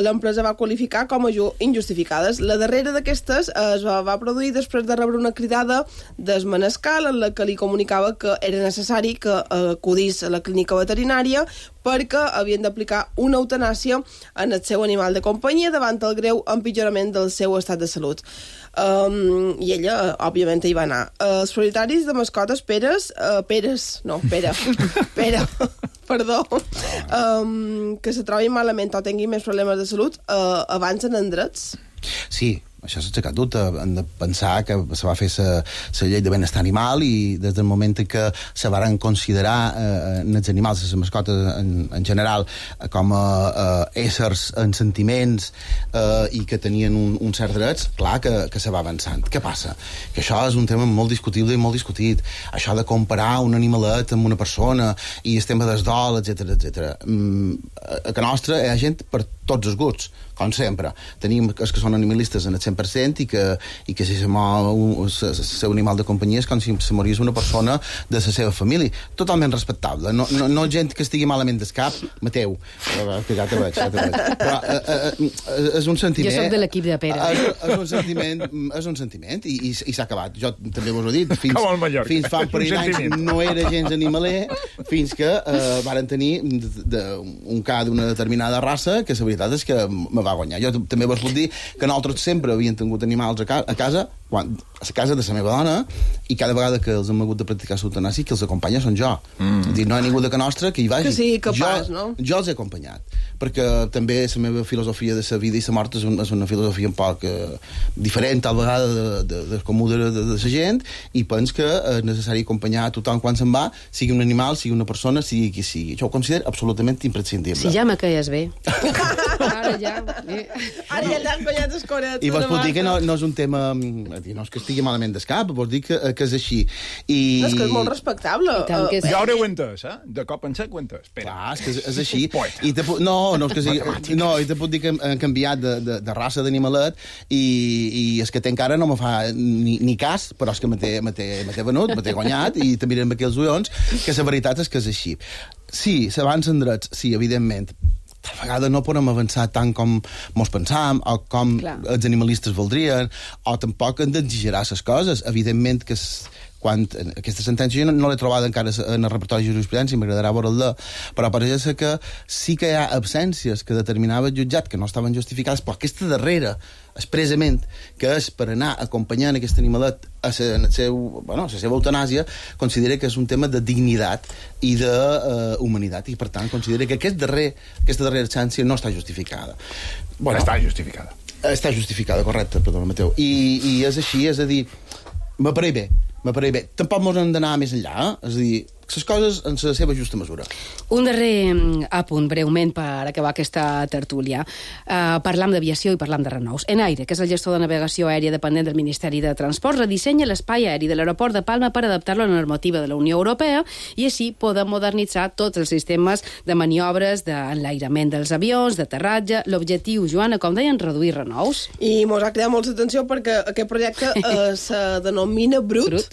l'empresa va qualificar com a injustificades. La darrera d'aquestes es va produir després de rebre una cridada d'Esmanescal en la que li comunicava que era necessari que acudís a la clínica veterinària perquè havien d'aplicar una eutanàsia en el seu animal de companyia davant el greu empitjorament del seu estat de salut. I ella, òbviament, hi va anar. Els propietaris de mascotes, Pere, que se trobin malament o tinguin més problemes de salut, avancen en drets? Sí, això s'ha aixecat tot. Hem de pensar que se va fer la llei de benestar animal i des del moment en què se van considerar els animals, les mascotes en general, com a éssers en sentiments i que tenien un cert drets, clar que se va avançant. Què passa? Que això és un tema molt discutible i molt discutit. Això de comparar un animalet amb una persona i el tema del dol, etc. A que nostra hi ha gent per tots els gusts, com sempre. Tenim els que són animalistes en el 100% i que si se mor el seu animal de companyia és com si se morís una persona de la seva família. Totalment respectable. No gent que estigui malament del cap. Mateu, que ja te veig. Però és un sentiment... Jo soc de l'equip de Pere. És un sentiment i s'ha acabat. Jo també vos ho he dit. Fins fa un parell d'anys no era gens animaler, fins que varen tenir un ca d'una determinada raça que la veritat és que me va guanyar. Jo també vos puc dir que nosaltres sempre havíem tingut animals a casa, a la casa de la meva dona, i cada vegada que els hem hagut de practicar l'eutanàsia, qui els acompanya són jo. És dir, no hi ha ningú de que nostra que hi vagi. Que sigui capaç, no? Jo els he acompanyat, perquè també la meva filosofia de la vida i la mort és una filosofia un poc diferent, tal vegada, de comú de la gent, i penso que és necessari acompanyar a tothom quan se'n va, sigui un animal, sigui una persona, sigui qui sigui. Jo ho considero absolutament imprescindible. Si ja me queies bé. Ara ja t'han guanyat el coret. I vos puc dir que no és un tema... No és que estigui malament d'escap, vos dic que és així. No, és que és molt respectable. Ja haureu entès, de cop en sec ho entès. Clar, és que és així. No, és que sigui... No, i te puc dir que hem canviat de raça d'animalet i és que encara no me fa ni cas, però és que me té venut, me té guanyat, i te miren aquí els ullons, que la veritat és que és així. Sí, s'avancen drets, sí, evidentment. Tal vegada no podem avançar tant com mos pensam o com els animalistes voldrien, o tampoc hem d'exagerar les coses. Evidentment que quan aquesta sentència no l'he trobada encara en el repertori de jurisprudència, m'agradarà veure-la, però pareix que sí que hi ha absències que determinava el jutjat que no estaven justificades, però aquesta darrera, expressament, que és per anar acompanyant aquest animalet a la seva eutanàsia, considera que és un tema de dignitat i d'humanitat, i per tant considera que aquesta darrera absència no està justificada. Està justificada. Està justificada, correcte, perdona, Mateu. I és així, és a dir, m'apareix bé, m'apareix bé. Tampoc mos hem d'anar més enllà, És a dir, les coses en la seva justa mesura. Un darrer apunt, breument, per acabar aquesta tertúlia. Parlam d'aviació i parlam de renous. Enaire, que és el gestor de navegació aèria dependent del Ministeri de Transports, redissenya l'espai aeri de l'aeroport de Palma per adaptar-lo a la normativa de la Unió Europea i així poder modernitzar tots els sistemes de maniobres d'enlairament dels avions, d'aterratge. L'objectiu, Joana, com deien, reduir renous. I mos ha cridat molta atenció perquè aquest projecte se denomina Brut.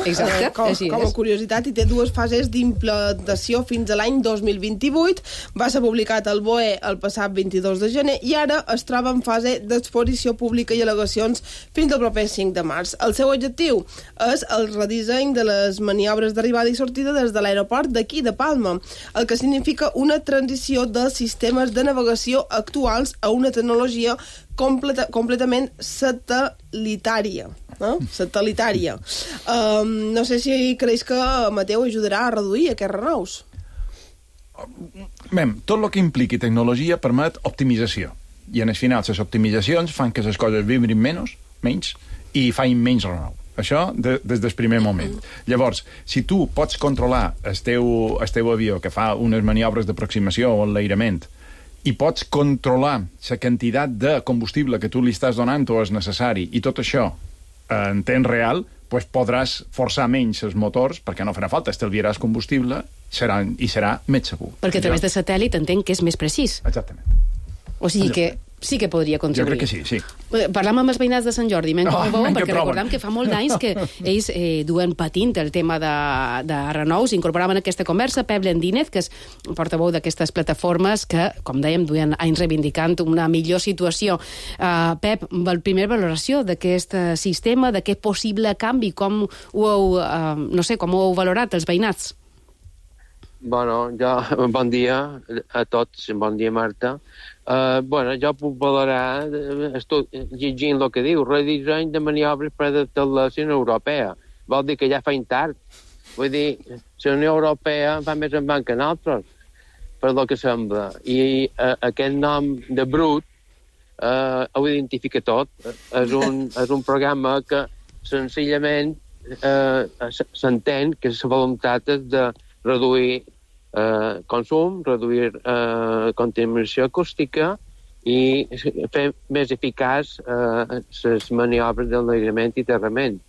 Exacte, com a curiositat, i té dues fases d'implantació fins a l'any 2028. Va ser publicat al BOE el passat 22 de gener i ara es troba en fase d'exposició pública i al·legacions fins al proper 5 de març. El seu objectiu és el redisseny de les maniobres d'arribada i sortida des de l'aeroport d'aquí, de Palma, el que significa una transició dels sistemes de navegació actuals a una tecnologia completament satellitària. Satellitària. No sé si creus que Mateu ajudarà a reduir aquests renous. Tot el que impliqui tecnologia permet optimització. I en el final, les optimitzacions fan que les coses vibrin menys i fan menys renou. Això des del primer moment. Llavors, si tu pots controlar el teu avió que fa unes maniobres d'aproximació o enlairament i pots controlar la quantitat de combustible que tu li estàs donant o és necessari, i tot això en temps real, doncs podràs forçar menys els motors, perquè no farà falta, estalviaràs combustible i serà més segur. Perquè a través de satèl·lit entenc que és més precís. Exactament. O sigui que sí que podria contribuir. Jo crec que sí. Parlam amb els veïnats de Sant Jordi, perquè recordem que fa molt d'anys que ells duen patint el tema de renous. Incorporaven aquesta conversa Pep Lendínez, que és portaveu d'aquestes plataformes que, com dèiem, duen anys reivindicant una millor situació. Pep, primera valoració d'aquest sistema, d'aquest possible canvi, com ho heu valorat els veïnats? Bon dia a tots, bon dia Marta. Jo puc valorar, llegint el que diu, redisseny de maniobres per adaptar la Unió Europea. Vol dir que ja fa tard. Vull dir, la Unió Europea va més en banc que nosaltres, per el que sembla. I aquest nom de Brut ho identifica tot. És un programa que senzillament s'entén que la voluntat és de reduir consum, reduir contaminació acústica i fer més eficaç les maniobres d'enlairament i aterrament.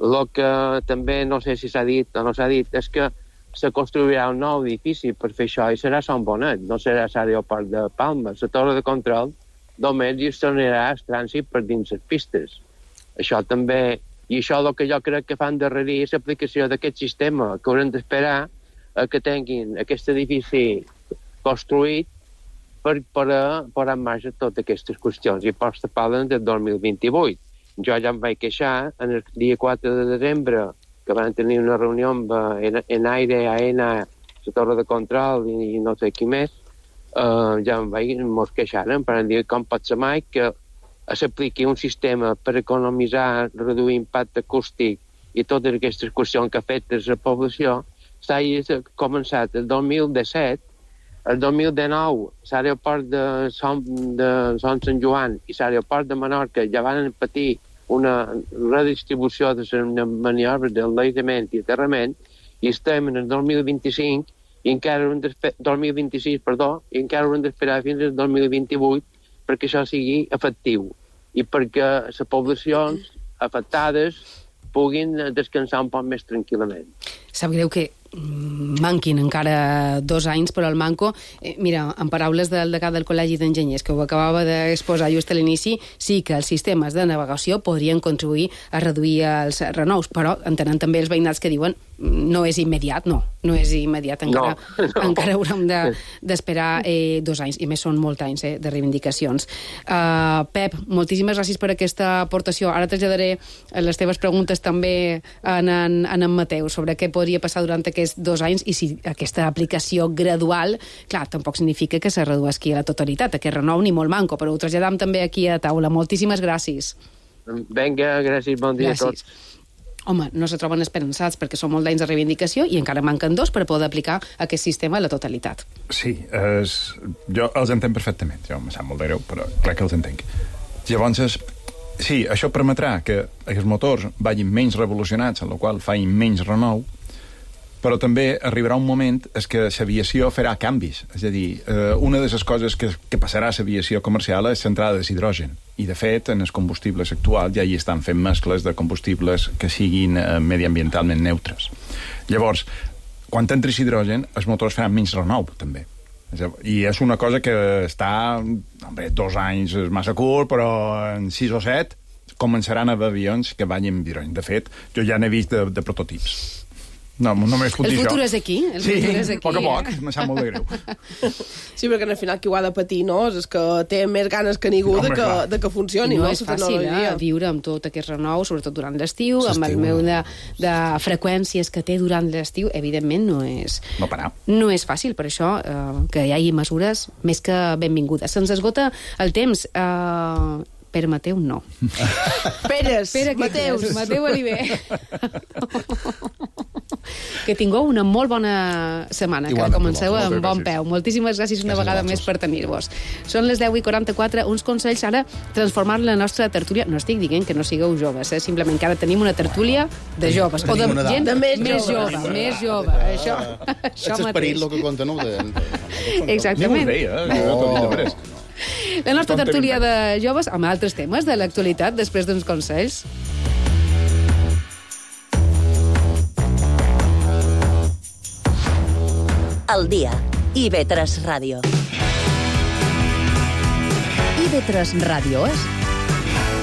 El que també no sé si s'ha dit o no s'ha dit és que se construirà un nou edifici per fer això i serà Sant Bonet, no serà l'aeroport de Palma. La torre de control només gestionarà el trànsit per dins les pistes. Això també, i això el que jo crec que fan darrere és l'aplicació d'aquest sistema, que haurem d'esperar que tinguin aquest edifici construït per posar en marxa totes aquestes qüestions. I pots parlen del 2028. Jo ja em vaig queixar el dia 4 de desembre, que van tenir una reunió amb Enaire, AENA, la torre de control i no sé qui més. Ja mos queixaren per dir com pot ser mai que s'apliqui un sistema per economitzar, reduir impacte acústic i totes aquestes qüestions que afecten la població. S'ha començat el 2017, el 2019 l'aeroport de Son Sant Joan i l'aeroport de Menorca ja van patir una redistribució de les maniobres d'enlairament i aterrament i estem en el 2025 i encara haurem d'esperar fins al 2028 perquè això sigui efectiu i perquè les poblacions afectades puguin descansar un poc més tranquil·lament. Sap greu que manquin encara 2 anys, però el manco, mira, en paraules del degà del Col·legi d'Enginyers, que ho acabava d'exposar just a l'inici, sí que els sistemes de navegació podrien contribuir a reduir els renous, però entenen també els veïnats que diuen no és immediat, no és immediat, encara haurem d'esperar 2 anys, i més són molts anys de reivindicacions. Pep, moltíssimes gràcies per aquesta aportació. Ara traslladaré les teves preguntes també en Mateu sobre què podria passar durant aquests 2 anys i si aquesta aplicació gradual, clar, tampoc significa que se redueixi a la totalitat, aquest renou ni molt manco, però ho traslladam també aquí a taula. Moltíssimes gràcies. Vinga, gràcies, bon dia a tots. Home, no se troben esperançats perquè són molt d'anys de reivindicació i encara manquen 2 per poder aplicar aquest sistema a la totalitat. Sí, jo els entenc perfectament. Jo em sap molt de greu, però crec que els entenc. Llavors, Sí, això permetrà que els motors vagin menys revolucionats, en la qual facin menys renou, però també arribarà un moment en què l'aviació farà canvis. És a dir, una de les coses que passarà a l'aviació comercial és centrada de hidrogen. I, de fet, en els combustibles actuals ja hi estan fent mescles de combustibles que siguin mediambientalment neutres. Llavors, quan entris hidrogen, els motors faran menys renou, també. I és una cosa que està... 2 anys és massa curt, però en 6 o 7 començaran a haver avions que vagin amb hidrogen. De fet, jo ja n'he vist de prototips. No només puc dir això. El futur és aquí. Sí, a poc a poc, me sap molt de greu. Sí, perquè al final qui ho ha de patir, no? És que té més ganes que ningú de que funcioni. I no és fàcil viure amb tot aquest renou, sobretot durant l'estiu, amb el meu de freqüències que té durant l'estiu, evidentment no és... No parar. No és fàcil, per això que hi hagi mesures més que benvingudes. Se'ns esgota el temps. Pere Mateu, no. Peres, Mateus. Mateu Oliver. Que tingueu una molt bona setmana, que comenceu amb bon peu. Moltíssimes gràcies una vegada més per tenir-vos. Són les 10:44, uns consells ara transformar la nostra tertúlia. No estic dient que no sigueu joves, simplement que ara tenim una tertúlia de joves, o de gent més jove. Això és esperit el que compta, no? Exactament. La nostra tertúlia de joves amb altres temes de l'actualitat després d'uns consells. Al dia. IB3 Ràdio. IB3 Ràdio és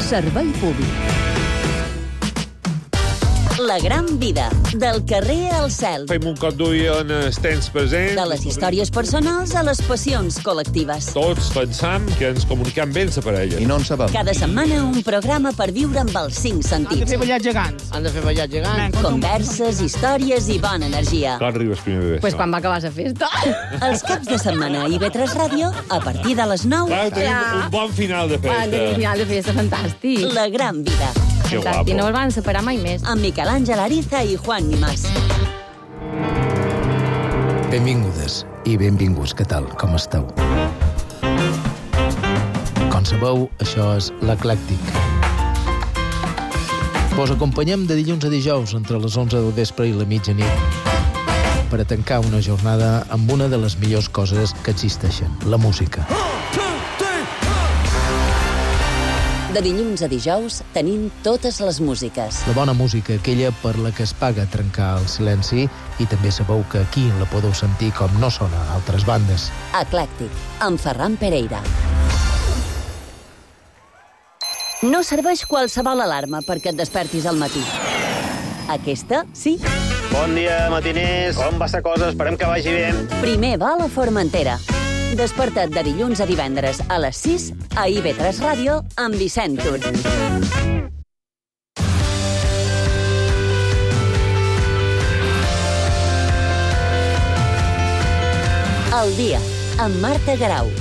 servei públic. La gran vida, del carrer al cel. Fem un cop d'ull en els temps presents. De les històries personals a les passions col·lectives. Tots pensam que ens comuniquem bé amb la parella. I no en sabem. Cada setmana un programa per viure amb els 5 sentits. Han de fer ballar gegants. Converses, històries i bona energia. Quan arribes primer de Pues quan va acabar la festa. Els caps de setmana a IB3 Ràdio, a partir de les 9. Clar, tenim un bon final de festa. Un final de festa fantàstic. La gran vida. Fantàstic, no el van separar mai més. Amb Miquel Àngel Ariza i Juan Nimás. Benvingudes i benvinguts, què tal? Com esteu? Com sabeu, això és l'Eclèctic. Vos acompanyem de dilluns a dijous entre les 11 del vespre i la mitjanit per a tancar una jornada amb una de les millors coses que existeixen, la música. De dilluns a dijous tenim totes les músiques. La bona música, aquella per la que es paga trencar el silenci, i també sabeu que aquí la podeu sentir com no sona a altres bandes. Eclèctic, amb Ferran Pereira. No serveix qualsevol alarma perquè et despertis al matí. Aquesta, sí. Bon dia, matiners. Com va la cosa? Esperem que vagi bé. Primer va a la Formentera. Desperta't de dilluns a divendres a les 6 a IB3 Ràdio amb Vicent Tur. El dia, amb Marta Garau.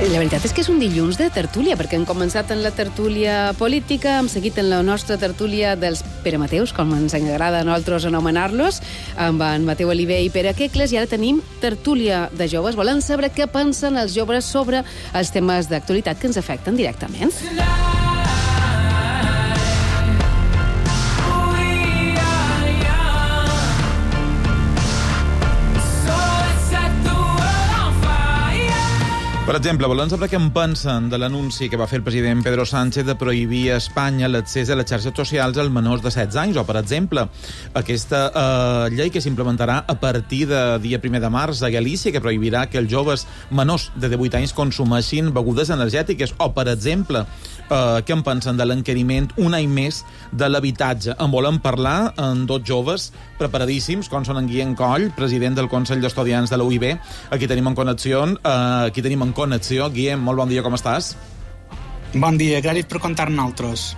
La veritat és que és un dilluns de tertúlia, perquè hem començat en la tertúlia política, hem seguit en la nostra tertúlia dels Pere Mateus, com ens agrada a nosaltres anomenar-los, amb en Mateu Oliver i Pere Quecles, i ara tenim tertúlia de joves. Volen saber què pensen els joves sobre els temes d'actualitat que ens afecten directament. Per exemple, volen saber què en pensen de l'anunci que va fer el president Pedro Sánchez de prohibir a Espanya l'accés a les xarxes socials als menors de 16 anys, o, per exemple, aquesta llei que s'implementarà a partir de dia 1 de març a Galícia, que prohibirà que els joves menors de 18 anys consumeixin begudes energètiques, o, per exemple, què en pensen de l'encariment un any més de l'habitatge. En volen parlar amb dos joves preparadíssims, com són en Guillem Coll, president del Consell d'Estudiants de la UIB. Aquí tenim en connexió. Guillem, molt bon dia, com estàs? Bon dia, gràcies per contar-nos.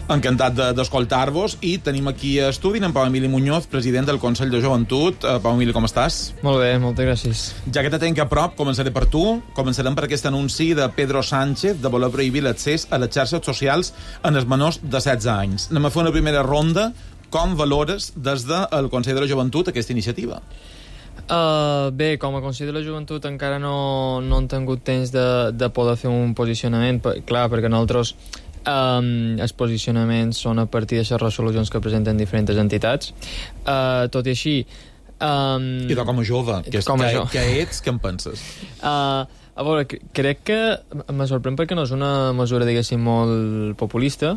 Encantat d'escoltar-vos, i tenim aquí a estudi en Pau Emili Muñoz, president del Consell de Joventut. Pau Emili, com estàs? Molt bé, moltes gràcies. Ja que te tenc a prop, començaré per tu. Començarem per aquest anunci de Pedro Sánchez de voler prohibir l'accés a les xarxes socials en els menors de 16 anys. Anem a fer una primera ronda. Com valores des del Consell de la Joventut aquesta iniciativa? Bé, com a Consell de la Joventut encara no hem tingut temps de poder fer un posicionament, clar, perquè nosaltres els posicionaments són a partir de les resolucions que presenten diferents entitats. Tot i així... I tu com a jove, què ets, què en penses? A veure, crec que me sorprèn perquè no és una mesura, diguéssim, molt populista.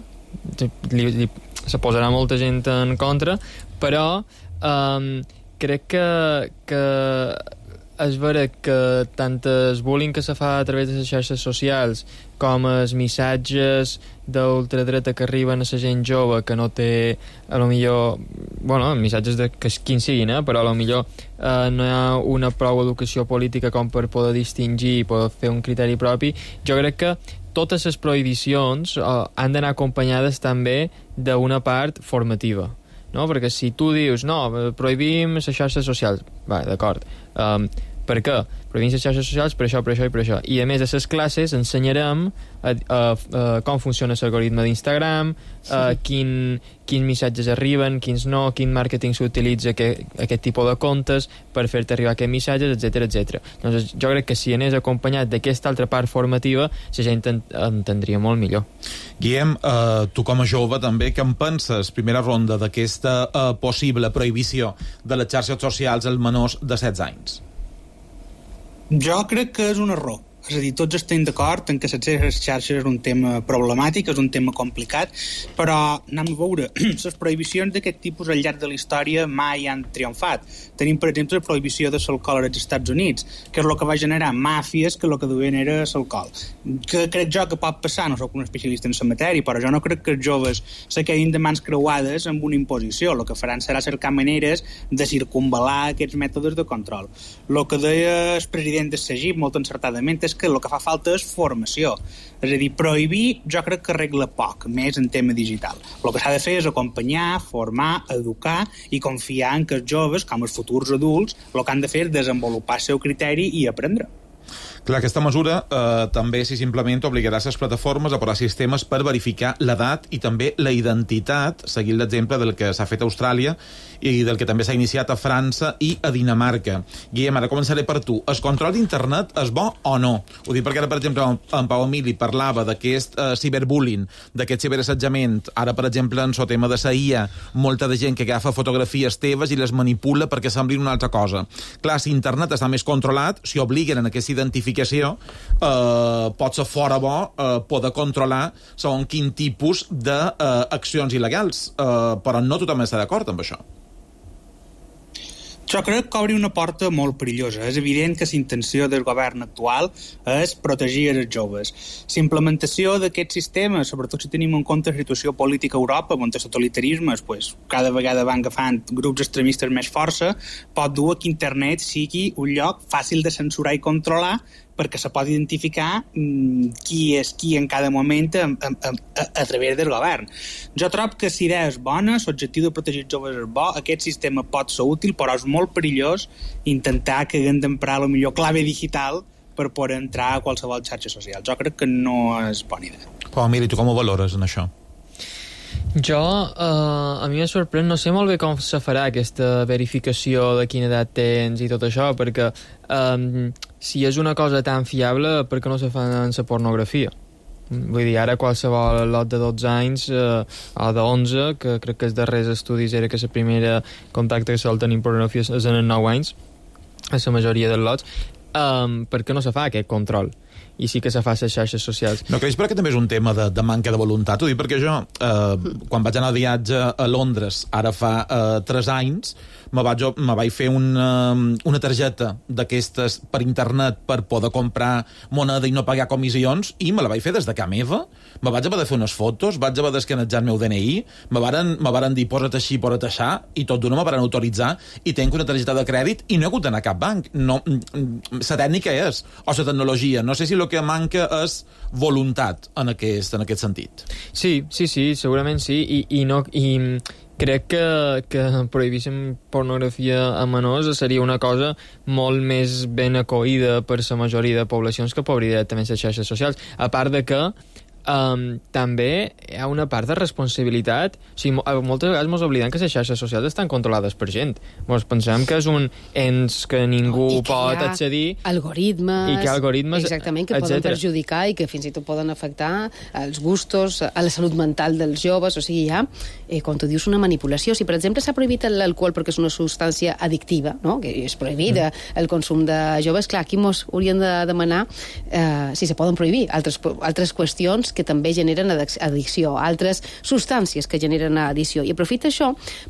Se posarà molta gent en contra, però crec que és vera que tant el bullying que se fa a través de les xarxes socials com els missatges d'ultradreta que arriben a la gent jove que no té, a lo millor, bueno, missatges de que quins siguin, però a lo millor no hi ha una prou educació política com per poder distingir i poder fer un criteri propi. Jo crec que totes les prohibicions han d'anar acompanyades també d'una part formativa, no? Perquè si tu dius, no, prohibim les xarxes socials, va, d'acord, per què? Prohibim les xarxes socials per això, per això i per això. I a més a les classes ensenyarem com funciona l'algoritme d'Instagram, quins missatges arriben, quins no, quin màrqueting s'utilitza aquest tipus de comptes per fer-te arribar aquests missatges, etc etc. Doncs jo crec que si anés acompanyat d'aquesta altra part formativa, la gent entendria molt millor. Guillem, tu com a jove també, què en penses? Primera ronda d'aquesta possible prohibició de les xarxes socials als menors de 16 anys. Jo crec que és un error. És a dir, tots estem d'acord en que l'accés a les xarxes és un tema problemàtic, és un tema complicat, però anem a veure, les prohibicions d'aquest tipus al llarg de la història mai han triomfat. Tenim, per exemple, la prohibició de l'alcohol als Estats Units, que és el que va generar màfies que el que duien era l'alcohol. Que crec jo que pot passar, no soc un especialista en la matèria, però jo no crec que els joves se quedin de mans creuades amb una imposició. El que faran serà cercar maneres de circumval·lar aquests mètodes de control. El que deia el president de SEGIP molt encertadament és que el que fa falta és formació. És a dir, prohibir jo crec que arregla poc, més en tema digital. El que s'ha de fer és acompanyar, formar, educar i confiar en que els joves, com els futurs adults, el que han de fer és desenvolupar el seu criteri i aprendre. Clar, aquesta mesura també, si s'implementa, obligarà les plataformes a posar sistemes per verificar l'edat i també la identitat, seguint l'exemple del que s'ha fet a Austràlia i del que també s'ha iniciat a França i a Dinamarca. Guillem, ara començaré per tu. El control d'internet és bo o no? Ho dic perquè ara, per exemple, en Pau Emili parlava d'aquest ciberbullying, d'aquest ciberassetjament. Ara, per exemple, en el tema de la IA, molta de gent que agafa fotografies teves i les manipula perquè semblin una altra cosa. Clar, si internet està més controlat, si obliguen en aquesta identificació, pot ser fora bo poder controlar segons quin tipus d'accions il·legals. Però no tothom està d'acord amb això. Jo crec que obri una porta molt perillosa. És evident que la intenció del govern actual és protegir els joves. La implementació d'aquest sistema, sobretot si tenim en compte la situació política a Europa, on els totalitarismes cada vegada van agafant grups extremistes més força, pot dur a que internet sigui un lloc fàcil de censurar i controlar perquè se pot identificar qui és qui en cada moment a través del govern. Jo trobo que la idea és bona, l'objectiu de protegir els joves és bo, aquest sistema pot ser útil, però és molt perillós intentar que haguem d'emprar la millor clave digital per poder entrar a qualsevol xarxa social. Jo crec que no és bona idea. Pau Emili, tu com ho valores en això? Jo, a mi em sorprèn, no sé molt bé com se farà aquesta verificació de quina edat tens i tot això, perquè si és una cosa tan fiable, per què no se fa en la pornografia? Vull dir, ara qualsevol lot de 12 anys o de 11, que crec que els darrers estudis era que la primera contacte que sol tenir pornografia és en 9 anys, a la majoria dels lots, per què no se fa aquest control? I sí que se fa a les xarxes socials. No creus perquè també és un tema de manca de voluntat? Ho dic perquè jo, quan vaig anar de viatge a Londres, ara fa 3 anys, me vaig fer una targeta d'aquestes per internet per poder comprar moneda i no pagar comissions, i me la vaig fer des de casa meva. Me vaig haver de fer unes fotos, vaig haver d'escanejar el meu DNI, me varen dir posa't així, posa't aixà, i tot d'una me varen autoritzar, i tenc una targeta de crèdit i no he hagut d'anar a cap banc. No, la tècnica és, o la tecnologia, no sé sé si el que manca és voluntat en aquest sentit. Sí, segurament sí, i crec que prohibíssim pornografia a menors seria una cosa molt més ben acollida per la majoria de poblacions que podria directament les xarxes socials. A part de que també hi ha una part de responsabilitat. O sigui, moltes vegades ens oblidem que les xarxes socials estan controlades per gent. Ens pensem que és un ens que ningú pot accedir. Algoritmes. I que algoritmes, exactament, que poden perjudicar i que fins i tot poden afectar els gustos, a la salut mental dels joves. O sigui, hi ha, com tu dius, una manipulació. Si, per exemple, s'ha prohibit l'alcohol perquè és una substància addictiva, no? Que és prohibida el consum de joves, clar, aquí ens haurien de demanar si se poden prohibir altres qüestions que també generen addicció, altres substàncies que generen addicció. I aprofita això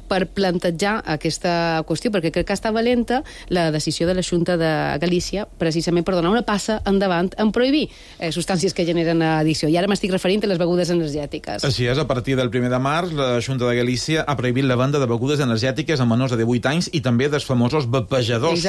per plantejar aquesta qüestió, perquè crec que està valenta la decisió de la Xunta de Galícia precisament per donar una passa endavant en prohibir substàncies que generen addicció. I ara m'estic referint a les begudes energètiques. Així és, a partir del 1 de març, la Xunta de Galícia ha prohibit la venda de begudes energètiques a menors de 18 anys i també dels famosos vapejadors.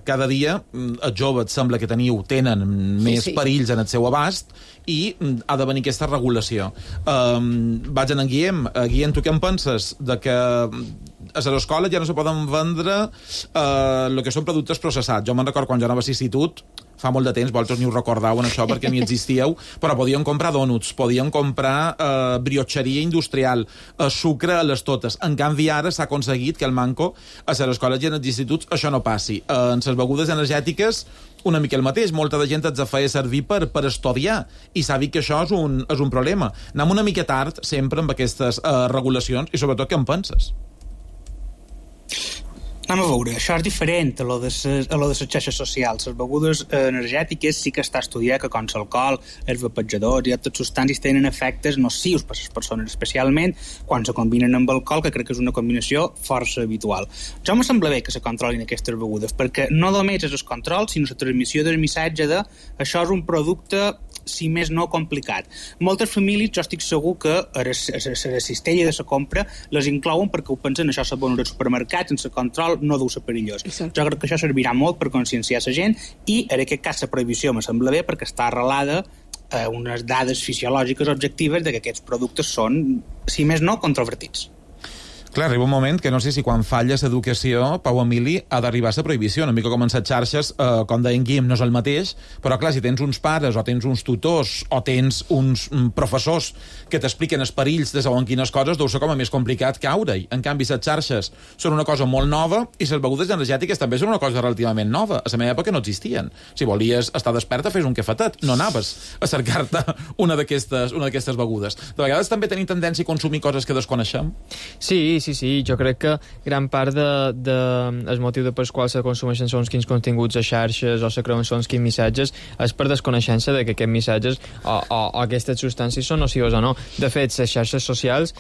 Cada dia els joves sembla que tenen més perills en el seu abast i ha de venir aquesta regulació. Vaig en Guillem. Guillem, tu què en penses? De que a les escoles ja no se poden vendre el que són productes processats. Jo me'n recordo quan jo anava a l'institut, fa molt de temps, vosaltres ni us recordeu en això perquè ni existíeu, però podíem comprar dònuts, podíem comprar briotxeria industrial, sucre a les totes. En canvi, ara s'ha aconseguit que el manco a les escoles i en els instituts això no passi. En les begudes energètiques una mica el mateix, molta de gent ens feia servir per estudiar i s'ha vist que això és un problema. Anem una mica tard sempre amb aquestes regulacions i sobretot què en penses? Anem a veure, això és diferent a lo de les xarxes socials. Les begudes energètiques sí que està estudiat que com l'alcohol, els vapejadors i altres substàncies tenen efectes nocius per a les persones, especialment quan se combinen amb alcohol, que crec que és una combinació força habitual. Jo me sembla bé que se controlin aquestes begudes, perquè no només és el control, sinó la transmissió del missatge de això és un producte, si més no, complicat. Moltes famílies, jo estic segur que a la cistella de la compra les inclouen perquè ho pensen, això se ven als supermercats, sense control, no deu ser perillós. Exacte. Jo crec que això servirà molt per conscienciar la gent i, en aquest cas, la prohibició me sembla bé perquè està arrelada a unes dades fisiològiques objectives de que aquests productes són, si més no, controvertits. Clar, arriba un moment que no sé si quan falla l'educació, Pau Emili, ha d'arribar a la prohibició. Una mica com en les xarxes, com deien Guim, no és el mateix, però clar, si tens uns pares o tens uns tutors o tens uns professors que t'expliquen els perills de segons quines coses, deu ser com a més complicat caure-hi. En canvi, les xarxes són una cosa molt nova i les begudes energètiques també són una cosa relativament nova. A la meva època no existien. Si volies estar desperta, fes un cafetet. No anaves a cercar-te una d'aquestes begudes. De vegades també tenim tendència a consumir coses que desconeixem. Sí, jo crec que gran part el motiu pels quals se consumeixen són quins continguts a xarxes o se creuen són quins missatges és per desconeixença de que aquests missatges o aquestes substàncies són nocives o no. De fet, les xarxes socials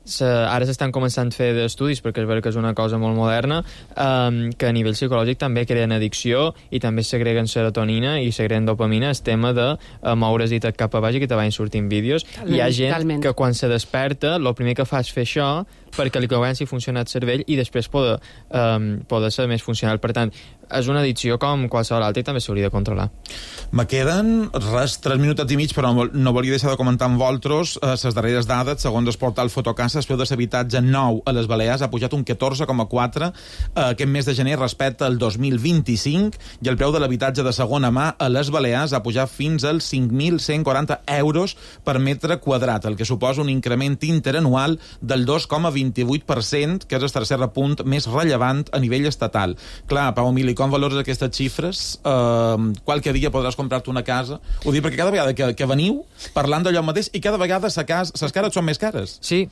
ara s'estan començant a fer estudis perquè és veritat que és una cosa molt moderna que a nivell psicològic també creen addicció i també segreguen serotonina i segreguen dopamina, el tema de moure's i cap a baix i que te vagin sortint vídeos. Hi ha gent que quan se desperta el primer que fa és fer això perquè li comenci a funcionar el cervell i després poder ser més funcional. Per tant, és una addicció com qualsevol altra i també s'hauria de controlar. Me queden 3 minutets i mig, però no volia deixar de comentar amb vosaltres les darreres dades. Segons el portal Fotocasa, el preu de l'habitatge nou a les Balears ha pujat un 14,4 aquest mes de gener respecte al 2025 i el preu de l'habitatge de segona mà a les Balears ha pujat fins als 5.140 euros per metre quadrat, el que suposa un increment interanual del 2,28%, que és el tercer punt més rellevant a nivell estatal. Clar, Pau Emili, com valores aquestes xifres? Qualque dia podràs comprar-te una casa? Ho dic perquè cada vegada que veniu parlant d'allò mateix i cada vegada les cares són més cares. Sí,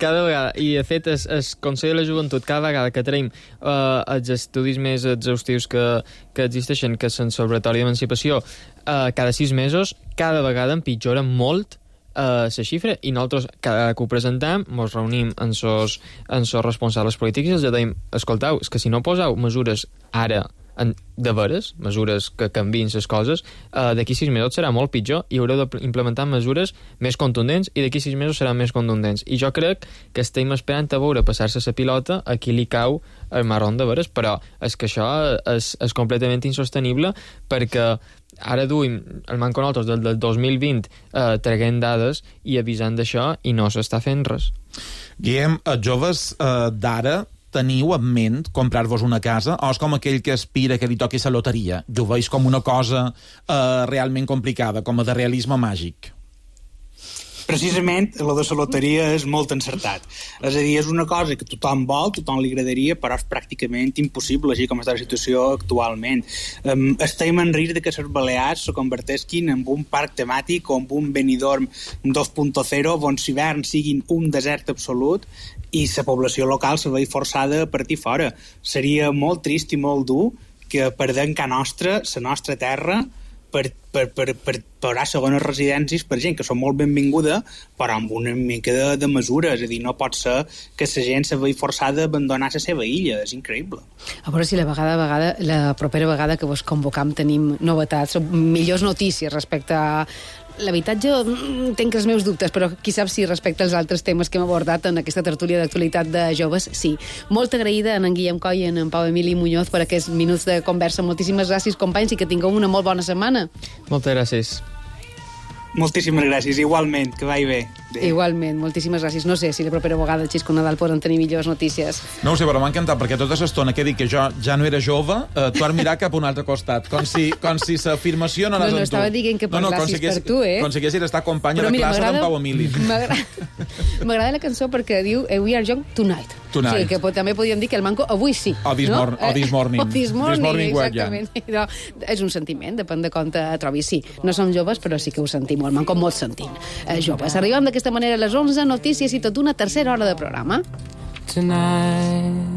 cada vegada. I, de fet, el Consell de la Joventut, cada vegada que traiem els estudis més exhaustius que existeixen, que són sobre l'observatori d'emancipació, cada 6 mesos, cada vegada empitjora molt la xifra i nosaltres, cada que ho presentem, ens reunim amb els responsables polítics i els dèiem, escolteu, és que si no poseu mesures ara de veres, mesures que canviïn les coses, d'aquí 6 mesos serà molt pitjor i haureu d'implementar mesures més contundents i d'aquí 6 mesos seran més contundents. I jo crec que estem esperant a veure passar-se la pilota a qui li cau el marrón de veres, però és que això és completament insostenible perquè ara duim el Manco nosaltres del 2020 traguent dades i avisant d'això i no s'està fent res. Guillem, joves d'ara, teniu en ment comprar-vos una casa o és com aquell que aspira que li toqui la loteria? Jo ho veig com una cosa realment complicada, com a de realisme màgic. Precisament, lo de la loteria és molt encertat. És a dir, és una cosa que tothom vol, tothom li agradaria, però és pràcticament impossible, així com està la situació actualment. Estem en risc de que les Balears se convertesquin en un parc temàtic o en un Benidorm 2.0, on l'hivern siguin un desert absolut i la població local se vegi forçada a partir fora. Seria molt trist i molt dur que perdem la nostra terra, per posar segones residències per gent que són molt benvinguda, però amb una mica de mesura. És a dir, no pot ser que la gent se vegi forçada a abandonar la seva illa. És increïble. A veure si la propera vegada que vos convocam tenim novetats, millors notícies respecte a l'habitatge. Tenc els meus dubtes, però qui sap si respecte als altres temes que hem abordat en aquesta tertúlia d'actualitat de joves, sí. Molt agraïda a en Guillem Coll i a en Pau Emili Muñoz per aquests minuts de conversa. Moltíssimes gràcies, companys, i que tingueu una molt bona setmana. Moltes gràcies. Moltíssimes gràcies, igualment, que vagi bé. Igualment, moltíssimes gràcies. No sé si la propera vegada el Xisco Nadal poden tenir millors notícies. No ho sé, però m'ha encantat, perquè tota l'estona que he dit que jo ja no era jove, tu has mirat cap a un altre costat, com si l'afirmació no anés amb tu. No, estava dient que parlassis per tu, Com si haguessis estat companya de classe d'en Pau Emili. M'agrada la cançó perquè diu We are young tonight. O sigui, que també podíem dir que el Manco avui sí. O this morning. O this morning, exactament. No, és un sentiment, depèn de com te trobis. Sí, no som joves, però sí que ho sentim. El Manco molt sentint. Joves, arribem d'aquesta manera a les 11, notícies i tot una tercera hora de programa. Tonight